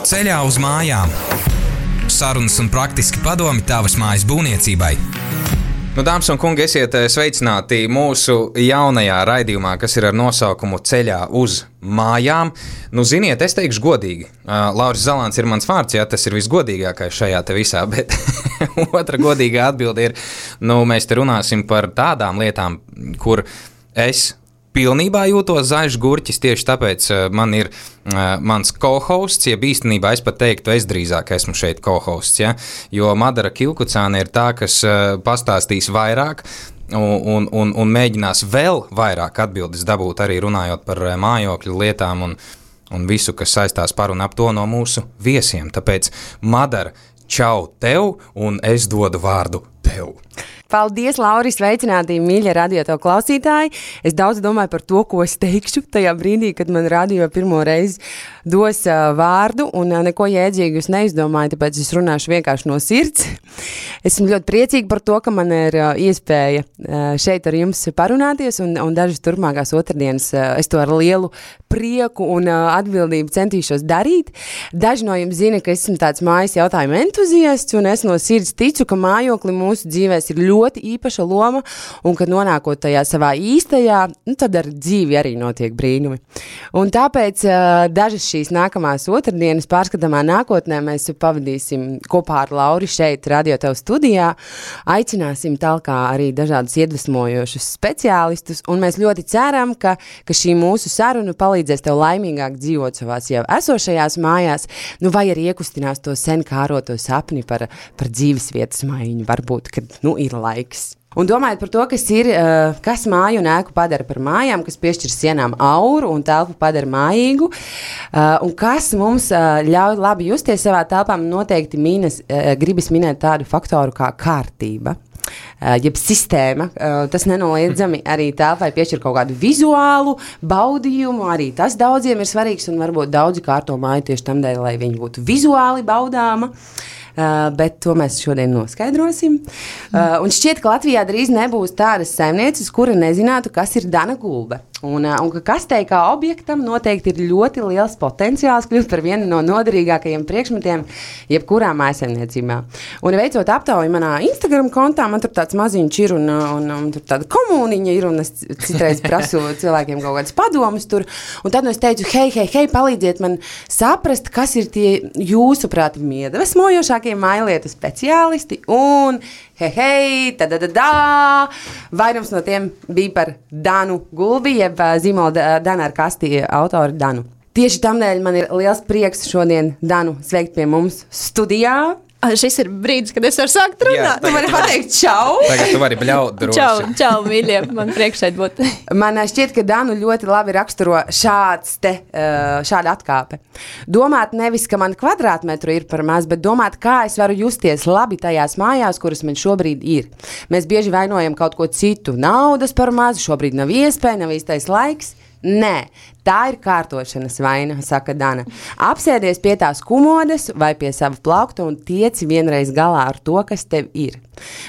Ceļā uz mājām. Sarunas un praktiski padomi tavas mājas būvniecībai. Dāmas un kungi, esiet sveicināti mūsu jaunajā raidījumā, kas ir ar nosaukumu Ceļā uz mājām. Ziniet, es teikšu godīgi. Lauris Zalants ir mans vārds, jā, tas ir visgodīgākais šajā te visā, bet otra godīgā atbilde ir, mēs te runāsim par tādām lietām, kur es pilnībā jūtos zaļš gurķis, tieši tāpēc man ir mans co-hosts, jeb īstenībā es pat teiktu, es drīzāk esmu šeit co-hosts, ja? Jo Madara Kilkucāne ir tā, kas pastāstīs vairāk un mēģinās vēl vairāk atbildes dabūt, arī runājot par mājokļu lietām un visu, kas saistās par un ap to no mūsu viesiem. Tāpēc, Madara, čau tev, un es dodu vārdu tev. Paldies, Lauris, sveicināti, mīļie radio tev klausītāji. Es daudz domāju par to, ko es teikšu tajā brīdī, kad man radio pirmo reizi dos vārdu, un neko jēdzīgu es neizdomāju, tāpēc es runāšu vienkārši no sirds. Esmu ļoti priecīga par to, ka man ir iespēja šeit ar jums parunāties, un dažas turpmākās otrdienas es to ar lielu prieku un atbildību centīšos darīt. Daži no jums zina, ka esmu tāds mājas jautājumu entuziasts, un es no sirds ticu, ka mājokli mūsu dzīvēs ir ļoti īpaša loma, un kad nonākot tajā savā īstajā, tad ar dzīvi arī notiek brīnumi. Un tāpēc dažas šīs nākamās otrdienas pārskatāmā nākotnē mēs pavadīsim kopā ar Lauri šeit radio tev studijā, aicināsim talkā arī dažādus iedvesmojošus speciālistus, un mēs ļoti ceram, ka šī mūsu saruna palīdzēs tev laimīgāk dzīvot savās jau esošajās mājās, vai arī iekustinās to sen kāroto sapni par dzīves vietas maiņu, varbūt, kad ir laiks. Un domājot par to, kas māju un ēku padara par mājām, kas piešķir sienām auru un telpu padara mājīgu, un kas mums ļauj labi justies savā telpā, noteikti gribas minēt tādu faktoru kā kārtība. Jeb sistēma, tas nenoliedzami arī telpai piešķir kaut kādu vizuālu baudījumu, arī tas daudziem ir svarīgs, un varbūt daudzi kārto māju tieši tam dēļ, lai viņi būtu vizuāli baudāma. Bet to mēs šodien noskaidrosim. Un šķiet, ka Latvijā drīz nebūs tādas saimnieces, kura nezinātu, kas ir Dana Gulbe. Un ka kastei kā objektam noteikti ir ļoti liels potenciāls kļūt par vienu no noderīgākajiem priekšmetiem jebkurā mājsaimniecībā. Un veicot aptauju manā Instagram kontā, man tur tāds maziņš ir un tur tāda komuniņa ir, un es citreiz prasu cilvēkiem kaut kādas padomus tur. Un tad es teicu, hei, palīdziet man saprast, kas ir tie jūsuprāt iedvesmojošākie mājlietu speciālisti, un vairums no tiem bija par Danu Gulbi, jeb zīmola Dana ar kasti autoru Danu. Tieši tamdēļ man ir liels prieks šodien Danu sveikt pie mums studijā. Šis ir brīdis, kad es varu sākt runāt. Tu vari pateikt čau. Tagad tu vari bļaut droši. Čau, mīļie, man priekš šeit būt. Man šķiet, ka Danu ļoti labi raksturo šāda atkāpe. Domāt nevis, ka man kvadrātmetru ir par maz, bet domāt, kā es varu justies labi tajās mājās, kuras man šobrīd ir. Mēs bieži vainojam kaut ko citu. Naudas par maz, šobrīd nav iespēja, nav īstais laiks. Nē, tā ir kārtošanas vaina, saka Dana. Apsēdies pie tās kumodes vai pie sava plaukta un tieci vienreiz galā ar to, kas tev ir.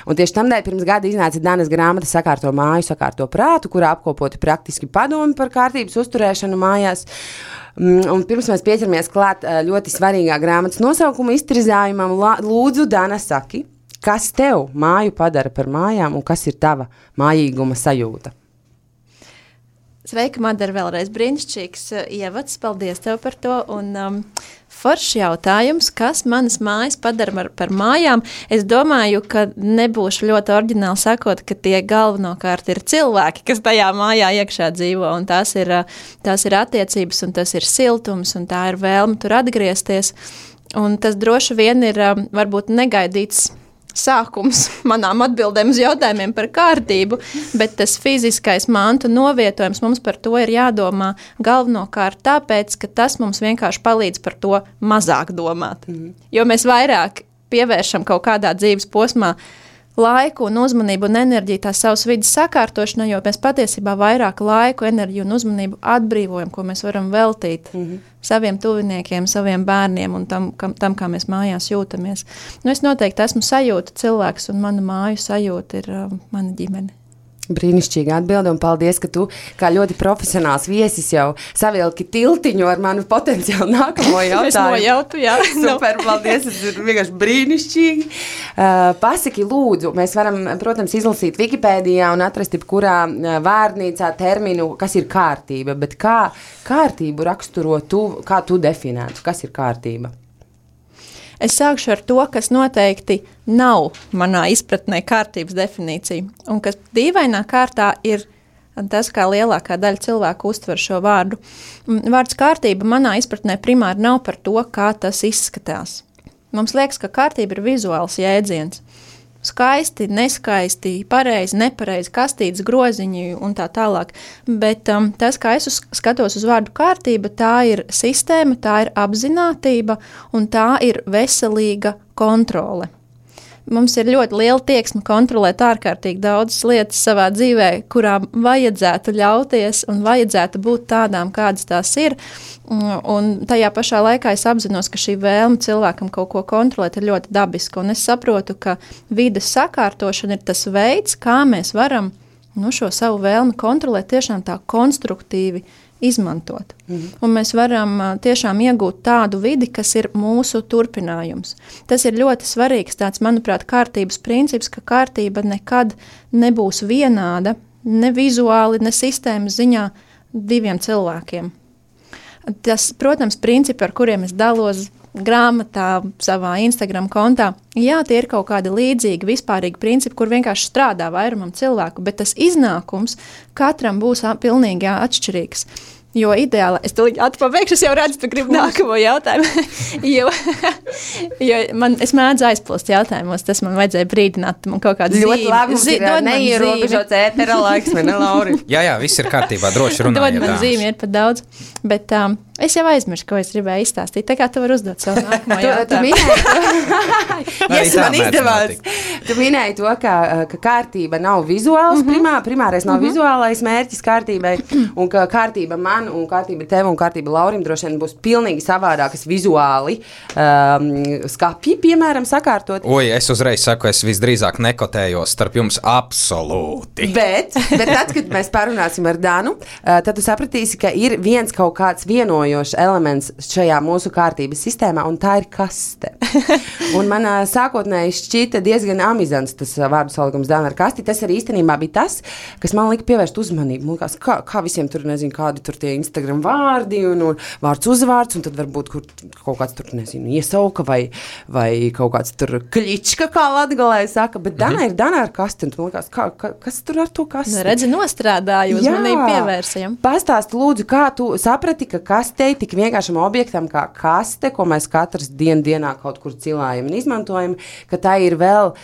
Un tieši tamdēļ pirms gada iznāca Danas grāmata Sakārto māju, sakārto prātu, kurā apkopoti praktiski padomi par kārtības uzturēšanu mājās. Un pirms mēs pieķeramies klāt ļoti svarīgā grāmatas nosaukuma iztirzājumam, lūdzu, Dana, saki, kas tev māju padara par mājām un kas ir tava mājīguma sajūta? Sveika, Madara, vēlreiz brīnišķīgs ievads, paldies tev par to, un foršs jautājums, kas manas mājas padara par mājām. Es domāju, ka nebūšu ļoti oriģināli sakot, ka tie galvenokārt ir cilvēki, kas tajā mājā iekšā dzīvo, un tās ir attiecības, un tas ir siltums, un tā ir vēlme tur atgriezties, un tas droši vien ir varbūt negaidīts sākums manām atbildēm uz jautājumiem par kārtību, bet tas fiziskais mantu novietojums mums par to ir jādomā galvenokārt tāpēc, ka tas mums vienkārši palīdz par to mazāk domāt. Jo mēs vairāk pievēršam kaut kādā dzīves posmā laiku un uzmanību un enerģiju tās savas vidas sakārtošanai, jo mēs patiesībā vairāk laiku, enerģiju un uzmanību atbrīvojam, ko mēs varam veltīt saviem tuviniekiem, saviem bērniem un tam, kā mēs mājās jūtamies. Es noteikti esmu sajūta cilvēks, un mana māju sajūta ir mana ģimene. Brīnišķīgi atbildi, un paldies, ka tu, kā ļoti profesionāls viesis, jau savilki tiltiņu ar manu potenciāli nākamo jautājumu. Es nojautu, jā. Super, paldies, tas ir vienkārši brīnišķīgi. Pasaki, lūdzu, mēs varam, protams, izlasīt Wikipēdijā un atrast jebkurā vārnīcā terminu, kas ir kārtība, bet kā kārtību raksturo tu, kā tu definētu, kas ir kārtība? Es sākšu ar to, kas noteikti nav manā izpratnē kārtības definīcija, un kas dīvainā kārtā ir tas, kā lielākā daļa cilvēku uztver šo vārdu. Vārds kārtība manā izpratnē primāri nav par to, kā tas izskatās. Mums liekas, ka kārtība ir vizuāls jēdziens. Skaisti, neskaisti, pareizi, nepareizi, kastītes, groziņi un tā tālāk. Bet tas, kā es skatos uz vārdu kārtība, tā ir sistēma, tā ir apzinātība un tā ir veselīga kontrole. Mums ir ļoti liela tieksme kontrolēt ārkārtīgi daudzas lietas savā dzīvē, kurām vajadzētu ļauties un vajadzētu būt tādām, kādas tās ir. Un tajā pašā laikā es apzinos, ka šī vēlme cilvēkam kaut ko kontrolēt ir ļoti dabiska. Un es saprotu, ka vides sakārtošana ir tas veids, kā mēs varam šo savu vēlmi kontrolēt tiešām tā konstruktīvi izmantot. Un mēs varam tiešām iegūt tādu vidi, kas ir mūsu turpinājums. Tas ir ļoti svarīgs tāds, manuprāt, kārtības princips, ka kārtība nekad nebūs vienāda, ne vizuāli, ne sistēmas ziņā diviem cilvēkiem. Tas, protams, principi, ar kuriem es dalos grāmatā, savā Instagram kontā, jā, tie ir kaut kādi līdzīgi, vispārīgi principi, kur vienkārši strādā vairumam cilvēku, bet tas iznākums katram būs pilnīgi atšķirīgs. Jo ideāli, es to atpabeigšu, es jau redzu, tu gribi nākamo jautājumu, jo es mēdzu aizplūst jautājumos, tas man vajadzēja brīdināt, man kaut kādu zīmi. Ļoti labi, mums ir neierobežots ētera laiks, vai ne, Lauri? Jā, viss ir kārtībā, droši runājiet. Dod man zīmi, ir pat daudz, bet es jau aizmiršu, ko es gribēju izstāstīt, tā kā tu vari uzdot savu nākamo jautājumu. Man izdevās. Tu minēji to, ka kārtība nav vizuāls, primārais nav vizuālais mērķis kārtībai, un ka kārtība man un kārtība tev un kārtība Laurim droši vien būs pilnīgi savādākas vizuāli skapji, piemēram, sakārtot. Oi, es uzreiz saku, es visdrīzāk nekotējos starp jums absolūti. Bet tad, kad mēs parunāsim ar Danu, tad tu sapratīsi, ka ir viens kaut kāds vienojošs elements šajā mūsu kārtības sistēmā, un tā ir kaste. Un man sākotnēji šķita diezgan amizants tas vārdu salikums Dana ar kasti. Tas arī īstenībā bija tas, kas man lika pievērst uzmanību. Man kā visiem tur, nezinu, kādi tur tie Instagram vārdi un vārds uzvārds, un tad varbūt kaut kāds tur, nezinu, iesauka vai kaut kāds tur kļička, kā latgalē saka, bet Dana ir Dana ar kasti, un tu man liekas, kas tur ar to kasti? Redzi, nostrādāju, uzmanību pievērsajam. Pastāsti lūdzu, kā tu saprati, ka kastei tik vienkāršam objektam kā kaste, ko mēs katrs dienā kaut kur cilājam un izmantojam, ka tā ir vēl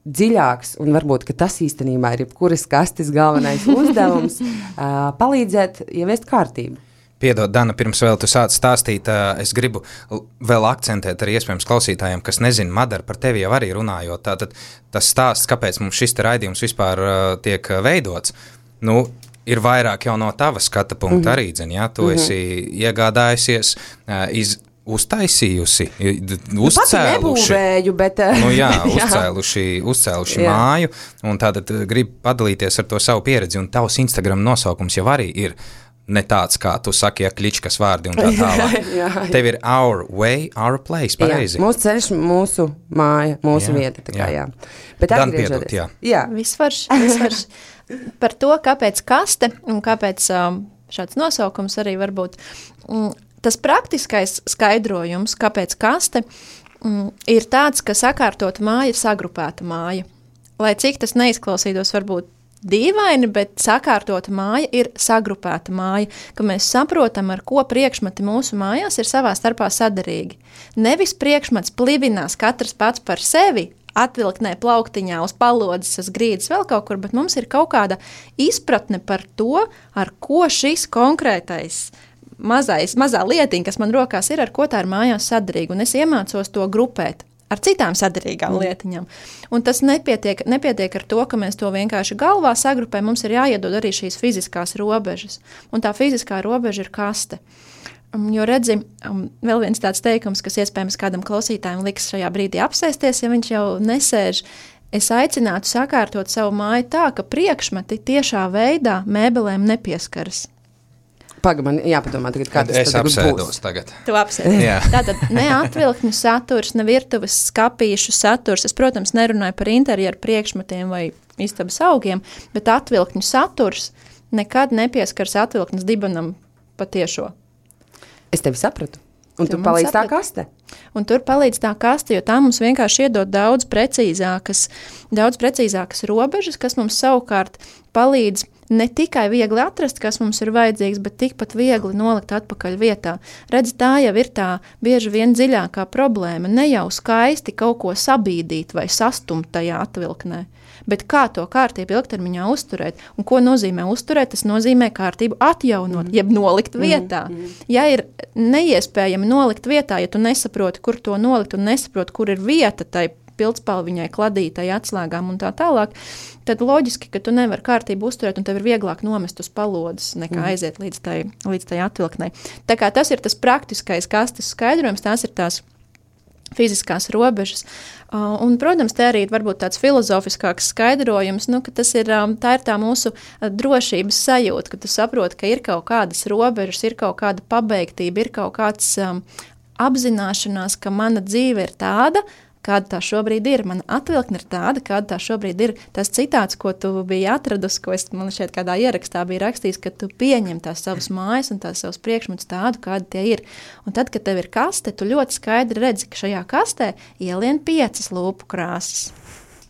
dziļāks, un varbūt, ka tas īstenībā ir jebkuras kastes galvenais uzdevums palīdzēt ieviest kārtību. Piedod, Dana, pirms vēl tu sāc stāstīt, es gribu vēl akcentēt arī iespējams klausītājiem, kas nezina, Madara, par tevi jau arī runājot. Tātad tas stāsts, kāpēc mums šis raidījums vispār tiek veidots, ir vairāk jau no tava skata punkta arī, ja tu esi iegādājusies, uztaisījusi, uzcēluši. Bet, uzcēluši māju, un tātad gribu padalīties ar to savu pieredzi, un tavs Instagram nosaukums jau arī ir ne tāds, kā tu saki, kličkas vārdi un tā tālāk. Tev ir our way, our place, pareizi. Jā, mūsu ceļš, mūsu māja, mūsu vieta, tā kā jā. Bet atgriežoties. Jā. Visvarš. Par to, kāpēc kaste un kāpēc šāds nosaukums arī varbūt. Tas praktiskais skaidrojums, kāpēc kaste, ir tāds, ka sakārtot māja ir sagrupēta māja. Lai cik tas neizklausītos varbūt dīvaini, bet sakārtota māja ir sagrupēta māja, ka mēs saprotam, ar ko priekšmeti mūsu mājās ir savā starpā sadarīgi. Nevis priekšmets plivinās katrs pats par sevi, atvilktnē plauktiņā uz palodzes, uz grīdas vēl kaut kur, bet mums ir kaut kāda izpratne par to, ar ko šis konkrētais mazā lietiņa, kas man rokās ir, ar ko tā ir mājās sadarīga, un es iemācos to grupēt ar citām sadarīgām lietiņām. Un tas nepietiek ar to, ka mēs to vienkārši galvā sagrupējam, mums ir jāiedod arī šīs fiziskās robežas, un tā fiziskā robeža ir kaste. Jo redzi, vēl viens tāds teikums, kas iespējams kādam klausītājiem liks šajā brīdī apsēsties, ja viņš jau nesēž, es aicinātu sakārtot savu māju tā, ka priekšmeti tiešā veidā mēbelēm nepieskaras. Man jāpadomā tagad, kā tas es apsēdos tagad. Tu apsēdies. Tātad ne atvilkņu saturs, ne virtuves skapīšu saturs. Es, protams, nerunāju par interjeru priekšmetiem vai istabas augiem, bet atvilkņu saturs nekad nepieskars atvilknes dibenam patiešo. Es tevi sapratu. Un tu palīdz tā kaste? Un tur palīdz tā kaste, jo tā mums vienkārši iedod daudz precīzākas robežas, kas mums savukārt palīdz ne tikai viegli atrast, kas mums ir vajadzīgs, bet tikpat viegli nolikt atpakaļ vietā. Redz, tā jau ir tā bieži vien dziļākā problēma. Ne jau skaisti kaut ko sabīdīt vai sastumt tajā atvilknē, bet kā to kārtību ilgtermiņā uzturēt. Un ko nozīmē uzturēt? Tas nozīmē kārtību atjaunot, jeb nolikt vietā. Ja ir neiespējami nolikt vietā, ja tu nesaproti, kur to nolikt un nesaproti, kur ir vieta tai pildspalviņai, kladītai, atslēgām un tā tālāk, tad loģiski, ka tu nevari kārtību uzturēt un tev ir vieglāk nomest uz palodas, nekā aiziet līdz tai atvilknei. Tā kā tas ir tas praktiskais kastes skaidrojums, tās ir tās fiziskās robežas. Un, protams, te arī varbūt tāds filozofiskāks skaidrojums, ka tā ir tā mūsu drošības sajūta, ka tu saproti, ka ir kaut kādas robežas, ir kaut kāda pabeigtība, ir kaut kāds apzināšanās, ka mana dzīve ir tāda, kāda tā šobrīd ir. Mana atvilkne ir tāda, kāda tā šobrīd ir. Tas citāts, ko tu biji atradusi, ko man šeit kādā ierakstā bija rakstījis, ka tu pieņem tās savas mājas un tās savas priekšmetus tādu, kādi tie ir. Un tad, kad tev ir kaste, tu ļoti skaidri redzi, ka šajā kastē ielien 5 lūpu krāsas.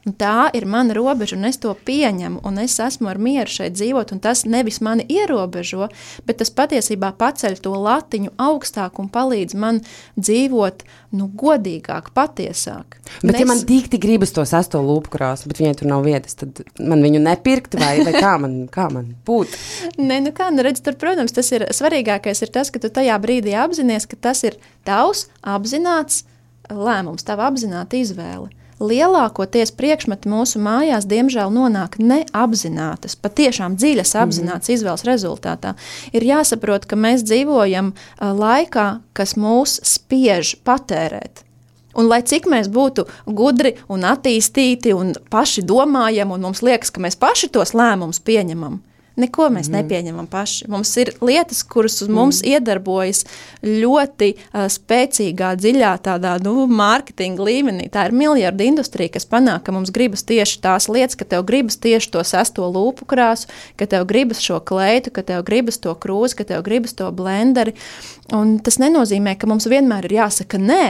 Un tā ir mana robeža, un es to pieņemu, un es esmu ar mieru šeit dzīvot, un tas nevis mani ierobežo, bet tas patiesībā paceļ to latiņu augstāk un palīdz man dzīvot, godīgāk, patiesāk. Bet ja man tik gribas to 6. lūpu krāsu, bet viņai tur nav vietas, tad man viņu nepirkt, vai kā man būt? Redz, tur, protams, tas ir svarīgākais ir tas, ka tu tajā brīdī apzinies, ka tas ir tavs apzināts lēmums, tava apzināta izvēle. Lielākoties priekšmeti mūsu mājās, diemžēl, nonāk neapzinātas, patiešām dziļas apzinātas izvēles rezultātā. Ir jāsaprot, ka mēs dzīvojam laikā, kas mūs spiež patērēt. Un lai cik mēs būtu gudri un attīstīti un paši domājam, un mums liekas, ka mēs paši tos lēmumus pieņemam, neko mēs nepieņemam paši. Mums ir lietas, kuras uz mums iedarbojas ļoti spēcīgā, dziļā tādā mārketinga līmenī. Tā ir miljardu industrija, kas panāk, ka mums gribas tieši tās lietas, ka tev gribas tieši to 6. lūpu krāsu, ka tev gribas šo kleitu, ka tev gribas to krūzi, ka tev gribas to blenderi. Un tas nenozīmē, ka mums vienmēr ir jāsaka nē.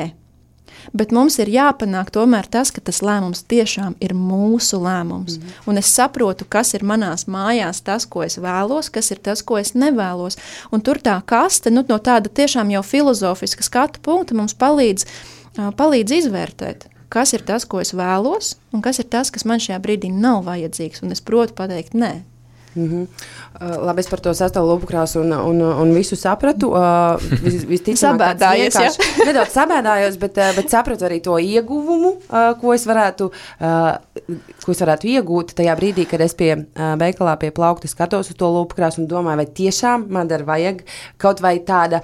Bet mums ir jāpanāk tomēr tas, ka tas lēmums tiešām ir mūsu lēmums. Un es saprotu, kas ir manās mājās tas, ko es vēlos, kas ir tas, ko es nevēlos. Un tur tā kaste, no tāda tiešām jau filozofiska skatu punkta mums palīdz izvērtēt, kas ir tas, ko es vēlos, un kas ir tas, kas man šajā brīdī nav vajadzīgs. Un es protu pateikt nē. Labi, es par to 6. lūpu krāsu un visu sapratu. Sabēdājies, nedaudz sabēdājos, bet sapratu arī to ieguvumu, ko es varētu iegūt tajā brīdī, kad es pie veikalā pie plaukta skatos uz to lūpu krāsu un domāju, vai tiešām man vajag kaut vai tāda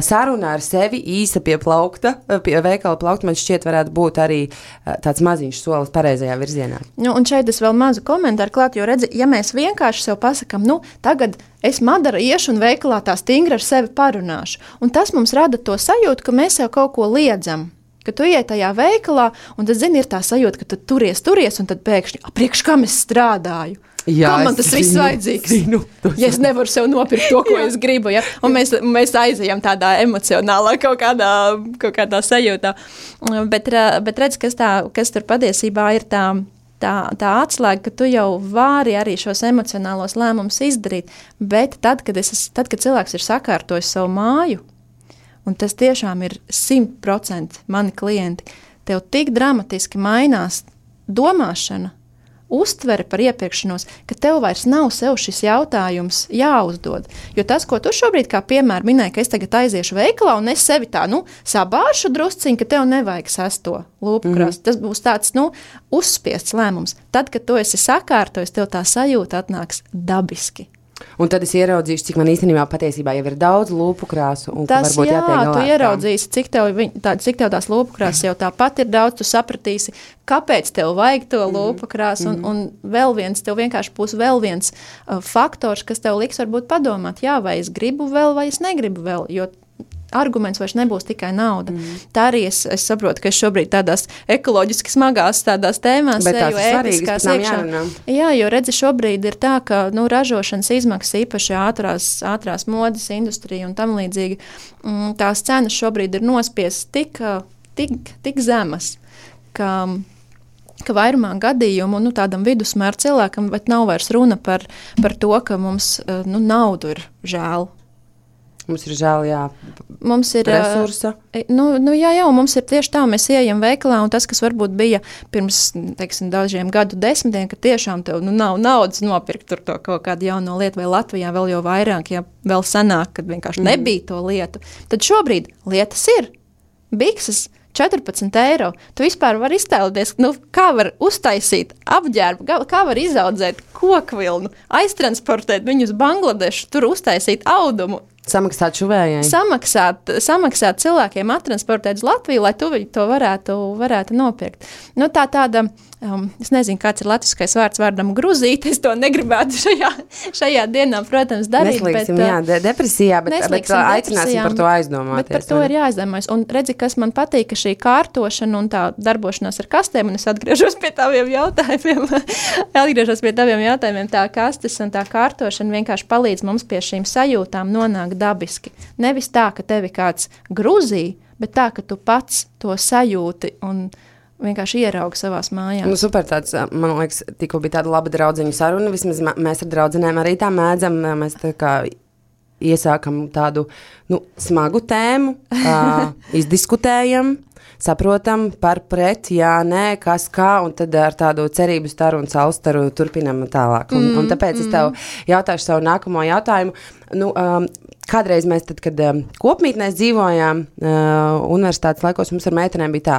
saruna ar sevi īsa pie plaukta, pie veikala plaukta, man šķiet varētu būt arī tāds maziņš solis pareizajā virzienā. Un šeit es vēl mazu komentāru klāt, jo redzi, ja mēs vienkārši sev pasakam, tagad es Madara iešu un veikalā tā stingri ar sevi parunāšu. Un tas mums rada to sajūtu, ka mēs sev kaut ko liedzam. Ka tu iet tajā veikalā, un tad, ir tā sajūta, ka tu turies, un tad pēkšņi, priekš kam es strādāju? Jā, kā man tas viss vajadzīgs? Ja es nevaru sev nopirkt to, ko es gribu, ja? Un mēs aizejam tādā emocionālā kaut kādā sajūtā. Bet redz, kas tur patiesībā ir tā atslēga, ka tu jau vari arī šos emocionālos lēmumus izdarīt, bet tad, kad cilvēks ir sakārtojis savu māju, un tas tiešām ir 100% mani klienti, tev tik dramatiski mainās domāšana, uztvere par iepirkšanos, ka tev vairs nav sev šis jautājums jāuzdod. Jo tas, ko tu šobrīd kā piemēru minēji, ka es tagad aiziešu veikalā un es sevi tā, sabāršu drusciņu, ka tev nevajag 6. lūpu krāsu. Tas būs tāds, uzspiests lēmums. Tad, kad tu esi sakārtojis, tev tā sajūta atnāks dabiski. Un tad es ieraudzīšu, cik man īstenībā patiesībā jau ir daudz lūpu krāsu. Un Tas, varbūt jā, tu ieraudzīsi, cik tev tās lūpu krāsas jau tāpat ir daudz, tu sapratīsi, kāpēc tev vajag to lūpu krāsu. Un vēl viens, tev vienkārši būs vēl viens faktors, kas tev liks varbūt padomāt, jā, vai es gribu vēl, vai es negribu vēl, jo arguments vairs nebūs tikai nauda. Tā arī es saprotu, ka es šobrīd tādās ekoloģiski smagās tādās tēmās, bet tās jo ir svarīgas, ētiskās pēc tam iekšā. jārunā. Jā, jo redzi, šobrīd ir tā, ka ražošanas izmaksas īpaši ātrās modes industrija un tam līdzīgi, tās cenas šobrīd ir nospiestas tik zemas, ka vairumā gadījumu tādam vidusmēra cilvēkam, bet nav vairs runa par to, ka mums naudu ir žēl. Mums ir žēl, jā, mums ir resursa. Jā, mums ir tieši tā, mēs ieejam veikalā, un tas, kas varbūt bija pirms, dažiem gadu desmitiem, ka tiešām tev nav naudas nopirkt tur to kaut kādu jauno lietu, vai Latvijā vēl jau vairāk, ja vēl senāk, kad vienkārši nebija to lietu. Tad šobrīd lietas ir. Bikses 14 eiro. Tu vispār vari iztēloties, kā var uztaisīt apģērbu, kā var izaudzēt kokvilnu, aiztransportēt viņu uz Bangladešu, tur uztaisīt audumu. Samaksāt šuvējai. Samaksāt cilvēkiem atransportēt uz Latviju, lai tu to varētu nopirkt. Tāda, es nezinu, kāds ir latviskais vārdam gruzīt, es to negribētu šajā dienā, protams, darīt. Neslīgsim, depresijā, bet aicināsim par to aizdomāties. Bet par to ir jāaizdomājas. Un redzi, kas man patīk, ka šī kārtošana un tā darbošanās ar kastēm, un es atgriežos pie taviem jautājumiem, tā kastes un tā kārtošana vienkārši palīdz mums pie šīm sajūtām nonākt dabiski. Nevis tā, ka tevi kāds gruzī, bet tā, ka tu pats to sajūti un vienkārši ieraugi savās mājās. Super tāds, man liekas, tikko bija tāda laba draudzeņu saruna, vismaz mēs ar draudzenēm arī tā mēdzam, mēs tā kā iesākam tādu, smagu tēmu, izdiskutējam, saprotam par pret, jā, nē, kas kā, un tad ar tādu cerību staru un saulstaru turpinam tālāk. Un tāpēc es tev jautāšu savu nākamo jautājumu. Kādreiz mēs tad, kad kopmītnēs dzīvojām, universitātes laikos mums ar meitenēm bija tā,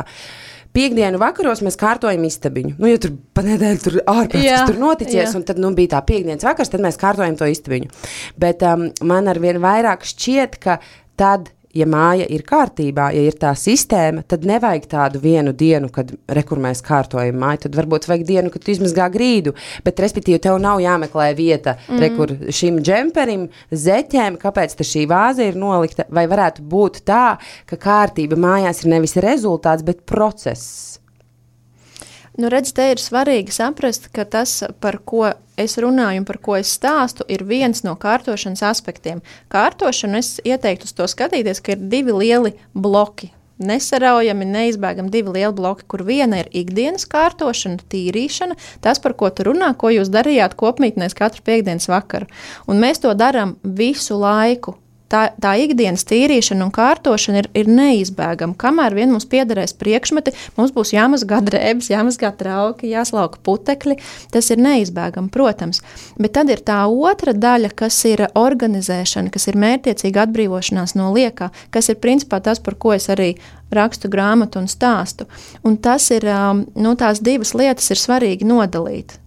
Piektdienu vakaros mēs kārtojam istabiņu. Ja tur pa nedēļu tur ārpēc, kas tur noticies, un tad bija tā piektdienas vakars, tad mēs kārtojam to istabiņu. Bet man arvien vairāk šķiet, ka tad, ja māja ir kārtībā, ja ir tā sistēma, tad nevajag tādu vienu dienu, kad kur mēs kārtojam māju, tad varbūt vajag dienu, kad tu izmazgā grīdu, bet respektīvi tev nav jāmeklē vieta, kur šim džemperim, zeķēm, kāpēc te šī vāze ir nolikta, vai varētu būt tā, ka kārtība mājās ir nevis rezultāts, bet process. Redz, te ir svarīgi saprast, ka tas, par ko es runāju un par ko es stāstu, ir viens no kārtošanas aspektiem. Kārtošanu es ieteiktu uz to skatīties, ka ir divi lieli bloki. Nesaraujami, neizbēgami divi lieli bloki, kur viena ir ikdienas kārtošana, tīrīšana, tas, par ko tu runā, ko jūs darījāt kopmītnēs katru piektdienas vakaru. Un mēs to darām visu laiku. Tā ikdienas tīrīšana un kārtošana ir neizbēgama. Kamēr vien mums piederēs priekšmeti, mums būs jāmazgā drēbes, jāmazgā trauki, jāslauka putekļi. Tas ir neizbēgami, protams. Bet tad ir tā otra daļa, kas ir organizēšana, kas ir mērķtiecīga atbrīvošanās no liekā, kas ir principā tas, par ko es arī rakstu grāmatu un stāstu. Un tas ir, tās divas lietas ir svarīgi nodalīt.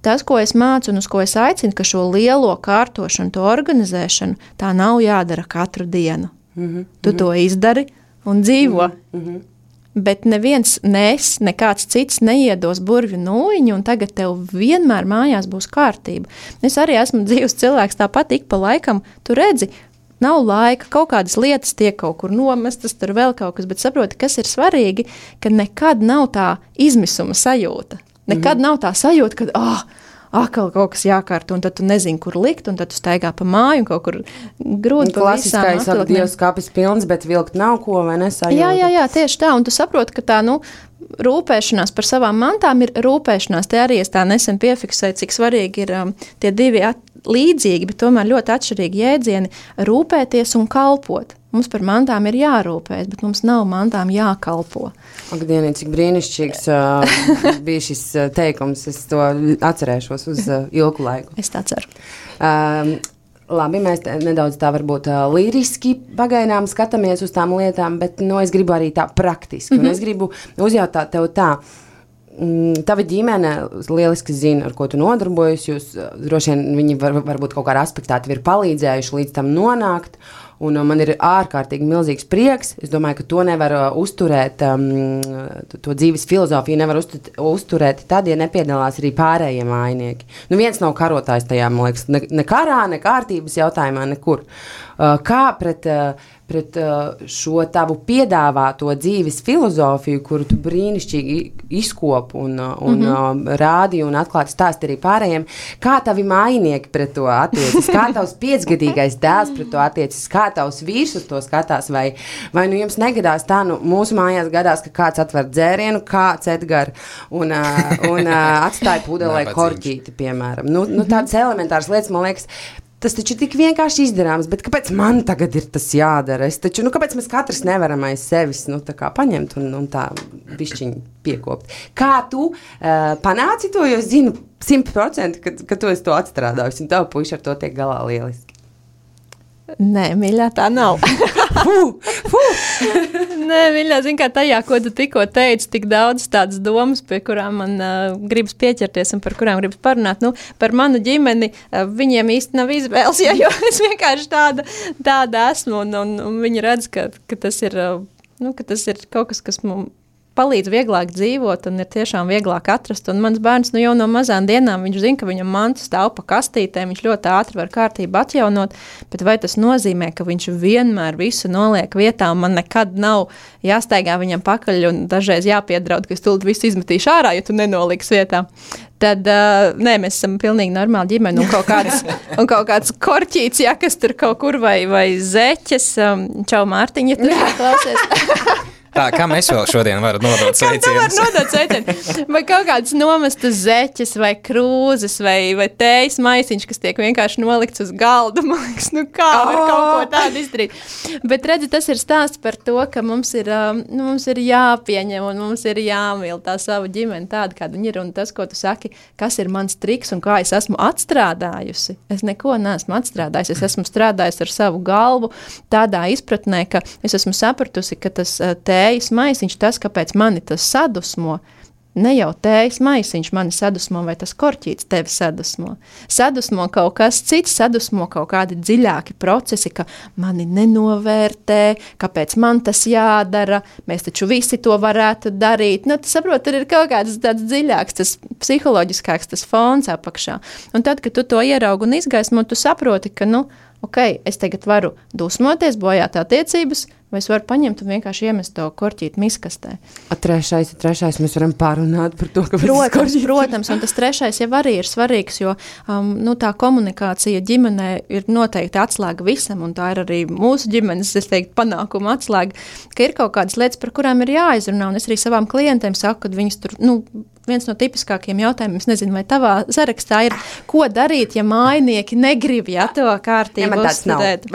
Tas, ko es mācu un uz ko es aicinu, ka šo lielo kārtošanu, to organizēšanu, tā nav jādara katru dienu. Tu to izdari un dzīvo. Bet neviens, nekāds cits neiedos burvju nūjiņu, un tagad tev vienmēr mājās būs kārtība. Es arī esmu dzīves cilvēks, tāpat ik pa laikam, tu redzi, nav laika, kaut kādas lietas tiek kaut kur nomestas, tur vēl kaut kas, bet saproti, kas ir svarīgi, ka nekad nav tā izmisuma sajūta. Nekad nav tā sajūta, ka atkal kaut kas jākārto, un tad tu nezini, kur likt, un tad tu staigā pa māju un kaut kur grūti pa visām atvilknēm. Klasiskais Dievs kapis pilns, bet vilkt nav ko, vai nesajūta? Jā, tieši tā, un tu saproti, ka tā, rūpēšanās par savām mantām ir rūpēšanās. Te arī es tā nesen piefiksēju, cik svarīgi ir tie divi līdzīgi, bet tomēr ļoti atšķirīgi jēdzieni - rūpēties un kalpot. Mums par mantām ir jārūpējas, bet mums nav mantām jākalpo. Ak, Dieni, cik brīnišķīgs bija šis teikums. Es to atcerēšos uz ilgu laiku. Es tā ceru. Labi, mēs nedaudz tā varbūt liriski pagaidām skatāmies uz tām lietām, bet es gribu arī tā praktiski. Un es gribu uzjautāt tev tā, Tava ģimene lieliski zina, ar ko tu nodarbojies. Jūs droši vien viņi varbūt kaut kādā aspektā tev ir palīdzējuši līdz tam nonākt. Un man ir ārkārtīgi milzīgs prieks. Es domāju, ka to nevar uzturēt, to dzīves filozofiju nevar uzturēt tad, ja nepiedalās arī pārējie mājinieki. Viens nav karotājs tajā, man liekas, ne karā, ne kārtības jautājumā, nekur. Kā pret šo tavu piedāvāto dzīves filozofiju, kuru tu brīnišķīgi izkopi un rādi un atklāti stāsti arī pārējiem, kā tavi mājinieki pret to attiecas, kā tavs 5-gadīgais dēls pret to attiecas, kā tavs vīrs uz to skatās, vai jums negadās tā, mūsu mājās gadās, ka kāds atver dzērienu, kāds Edgar un atstāja pudelē korķīti, piemēram. Tādas elementāras lietas, man liekas, tas taču tik vienkārši izdarāms, bet kāpēc man tagad ir tas jādara? Es taču, kāpēc mēs katrs nevaram aiz sevis, tā kā paņemt un tā bišķiņi piekopt? Kā tu panāci to, jo es zinu 100%, ka tu esi to atstrādājusi, un tavu puiši ar to tiek galā lieliski. Nē, mīļā, tā nav. Nē, mīļā, zin kā tajā, ko tu tikko teici, tik daudz tādas domas, pie kurām man gribas pieķerties un par kurām gribas parunāt. Par manu ģimeni viņiem īsti nav izvēles, jo es vienkārši tāda esmu, un viņi redz, ka tas ir, ka tas ir kaut kas mums palīdz vieglāk dzīvot un ir tiešām vieglāk atrast. Un mans bērns jau no mazām dienām, viņš zina, ka viņam mantas stāv pa kastītēm, viņš ļoti ātri var kārtību atjaunot, bet vai tas nozīmē, ka viņš vienmēr visu noliek vietā un man nekad nav jāstaigā viņam pakaļ un dažreiz jāpiedraud, ka es tūlīt visu izmetīšu ārā, ja tu nenoliks vietā. Tad, nē, mēs esam pilnīgi normāli ģimeni un kaut kāds korķīts, ja, kas tur kaut kur vai zeķes. Čau, Mārtiņa, tu klausies. Tā, kā mēs vēl šodien varam nodot sveicienus? Kā tu var nodot sveicienus? Vai kaut kādas nomestas zeķes, vai krūzes, vai tējas maisiņš, kas tiek vienkārši nolikts uz galda. Man liekas, kā var kaut ko tādu izdarīt. Bet redzi, tas ir stāsts par to, ka mums ir jāpieņem un mums ir jāmīl tā savu ģimeni tāda, kāda viņi ir. Un tas, ko tu saki, kas ir mans triks un kā es esmu atstrādājusi. Es neko neesmu atstrādājusi. Es esmu strādājusi ar savu galvu tādā izpratnē, ka es esmu sapratusi, ka tas tējas maisiņš, tas, kāpēc mani tas sadusmo, ne jau tējas maisiņš mani sadusmo, vai tas korķīts tevi sadusmo. Sadusmo kaut kas cits, sadusmo kaut kādi dziļāki procesi, ka mani nenovērtē, kāpēc man tas jādara, mēs taču visi to varētu darīt. Tu saproti, tur ir kaut kāds tāds dziļāks, tas psiholoģiskāks, tas fons apakšā. Un tad, kad tu to ieraugi un izgaismo, tu saproti, ka, es tagad varu dusmoties, bojāt attiecības, vai es varu paņemt un vienkārši iemest to korķīti miskastē. Trešais, mēs varam pārunāt par to, ka Protams, un tas trešais jau arī ir svarīgs, jo tā komunikācija ģimenē ir noteikti atslēga visam, un tā ir arī mūsu ģimenes, es teiktu, panākuma atslēga, ka ir kaut kādas lietas, par kurām ir jāizrunā, un es arī savām klientēm saku, kad viņas tur, viens no tipiskākiem jautājumiem, es nezinu, vai tavā sarakstā ir, ko darīt, ja mājnieki negrib, to kārtību uzstādēt.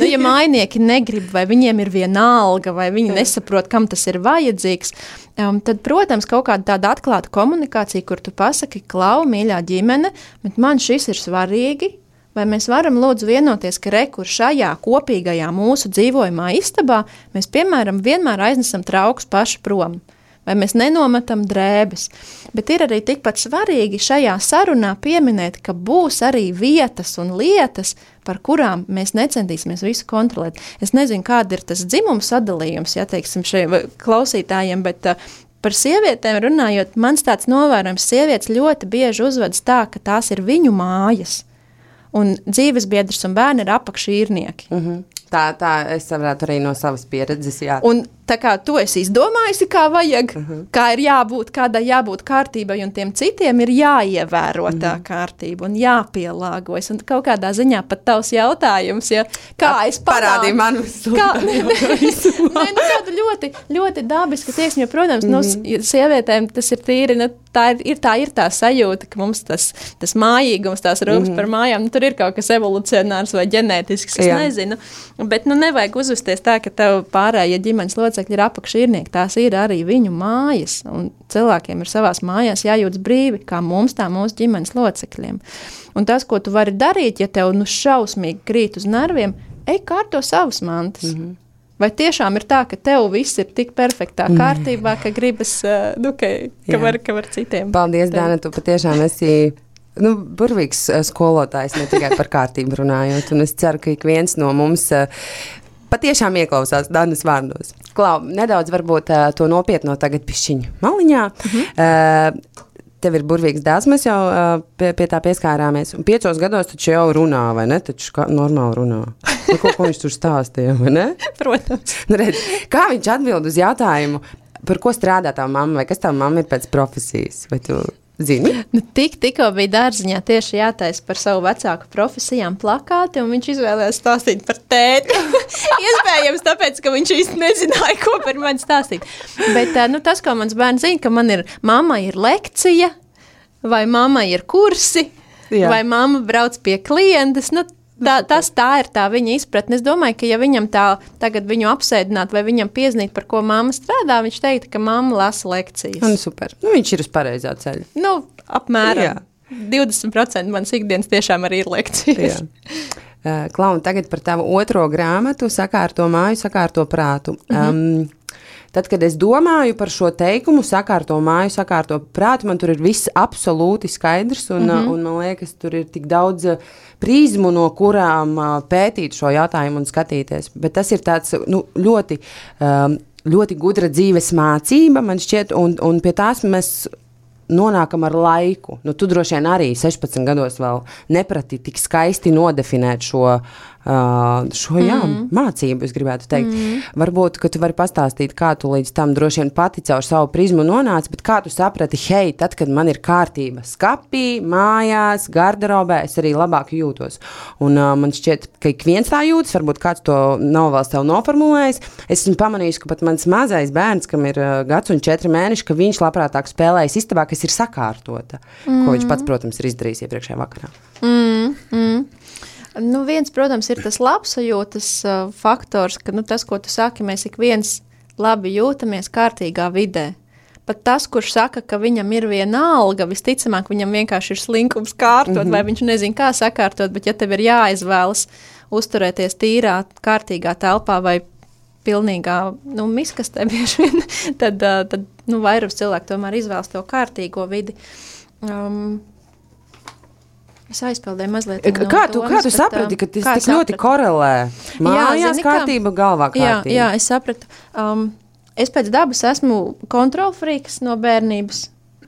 Ja mājnieki negrib, vai viņiem ir vienalga, vai viņi nesaprot, kam tas ir vajadzīgs, tad, protams, kaut kāda tāda atklāta komunikācija, kur tu pasaki, klau, mīļā ģimene, bet man šis ir svarīgi, vai mēs varam lūdzu vienoties, ka kur šajā kopīgajā mūsu dzīvojumā istabā mēs, piemēram, vienmēr aiznesam traukus paši prom. Vai mēs nenometam drēbes. Bet ir arī tikpat svarīgi šajā sarunā pieminēt, ka būs arī vietas un lietas, par kurām mēs necentīsimies visu kontrolēt. Es nezinu, kāda ir tas dzimums sadalījums, teiksim, šiem klausītājiem, bet par sievietēm runājot, mans tāds novērojums, sievietes ļoti bieži uzvedas tā, ka tās ir viņu mājas. Un dzīvesbiedrs un bērni ir apakšīrnieki. Tā es varētu arī no savas pieredzes, jā. Un tā kā tu esi izdomājusi, kā vajag, kā ir jābūt, kādai jābūt kārtībai, un tiem citiem ir jāievēro tā kārtība un jāpielāgojas. Un kaut kādā ziņā pat tavs jautājums, kā es parādīju man visu. Tāda ļoti, ļoti dabiska tieksme, jo, protams, sievietēm tas ir tīri, tā ir tā sajūta, ka mums tas mājīgums, tās rūpes par mājām, tur ir kaut kas evolucionārs vai ģenētisks, es nezinu. Bet nevajag uzvesties tā, ka tev pārējie ģimenes locekļi ir apakšīrnieki. Tās ir arī viņu mājas. Un cilvēkiem ir savās mājās jājūtas brīvi, kā mums, tā mūsu ģimenes locekļiem. Un tas, ko tu vari darīt, ja tev šausmīgi krīt uz nerviem, ej kārto savas mantas. Vai tiešām ir tā, ka tev viss ir tik perfektā kārtībā, ka gribas, ka var citiem? Paldies, Dāna, tu patiešām esi burvīgs skolotājs, ne tikai par kārtību runājot, un es ceru, ka ik viens no mums patiešām ieklausās Danas vārdos. Klau, nedaudz varbūt to nopietno tagad pišķiņu maliņā. Tev ir burvīgs dēls, mēs jau pie tā pieskārāmies. Un 5 gados taču jau runā, vai ne? Taču normāli runā. Ko viņš tur stāstīja, vai ne? Protams. Redz, kā viņš atbild uz jautājumu, par ko strādā tava mamma, vai kas tava mamma ir pēc profesijas? Vai tu zini? Tikko bija dārziņā tieši jātaisa par savu vecāku profesijām plakāti, un viņš izvēlējās stāstīt par tēti. Iespējams, tāpēc, ka viņš īsti nezināja, ko par mani stāstīt. Bet tas, ko mans bērns zina, ka mamma ir lekcija, vai mamma ir kursi, vai mamma brauc pie klientes, tā ir tā viņa izpratne. Es domāju, ka ja viņam tagad viņu apsēdināt vai viņam piezinīt, par ko mamma strādā, viņš teiktu, ka mamma lasa lekcijas. Super. Viņš ir uz pareizā ceļa. Apmēram. 20% manas ikdienas tiešām arī ir lekcijas. Klau, tagad par tavu otro grāmatu Sakārto māju, sakārto prātu. Tad, kad es domāju par šo teikumu, sakārto māju, sakārto prātu, man tur ir viss absolūti skaidrs, un man liekas, tur ir tik daudz prizmu, no kurām pētīt šo jautājumu un skatīties. Bet tas ir tāds ļoti, ļoti gudra dzīves mācība, man šķiet, un pie tās mēs nonākam ar laiku. Tu droši vien arī 16 gados vēl neprati tik skaisti nodefinēt šo mācību, es gribētu teikt. Varbūt, ka tu vari pastāstīt, kā tu līdz tam droši vien pati caur savu prizmu nonāci, bet kā tu saprati, hei, tad, kad man ir kārtība skapī, mājās, garderobē, es arī labāk jūtos. Un man šķiet, ka ik viens tā jūtas, varbūt kāds to nav vēl sev noformulējis. Es esmu pamanījis, ka pat mans mazais bērns, kam ir gads un 4 mēneši, ka viņš labprātāk spēlējas istabā, kas ir sakārtota, ko viņš pats, protams, ir izdarījis iepriekšējā vakarā. Viens, protams, ir tas labsajūtas faktors, ka tas, ko tu saki, mēs ik viens labi jūtamies kārtīgā vidē. Pat tas, kurš saka, ka viņam ir viena alga, visticamāk, viņam vienkārši ir slinkums kārtot, vai viņš nezin, kā sakārtot, bet ja tev ir jāizvēlas uzturēties tīrā, kārtīgā telpā vai pilnīgā miskastē bieži vien, tad vairums cilvēku tomēr izvēlas to kārtīgo vidi. Es aizpildēju mazliet no kā tu saprati, ka tas tik ļoti korelē? Mājās kārtība, galvā kārtība. Jā, es sapratu. Es pēc dabas esmu kontrolfrīks no bērnības,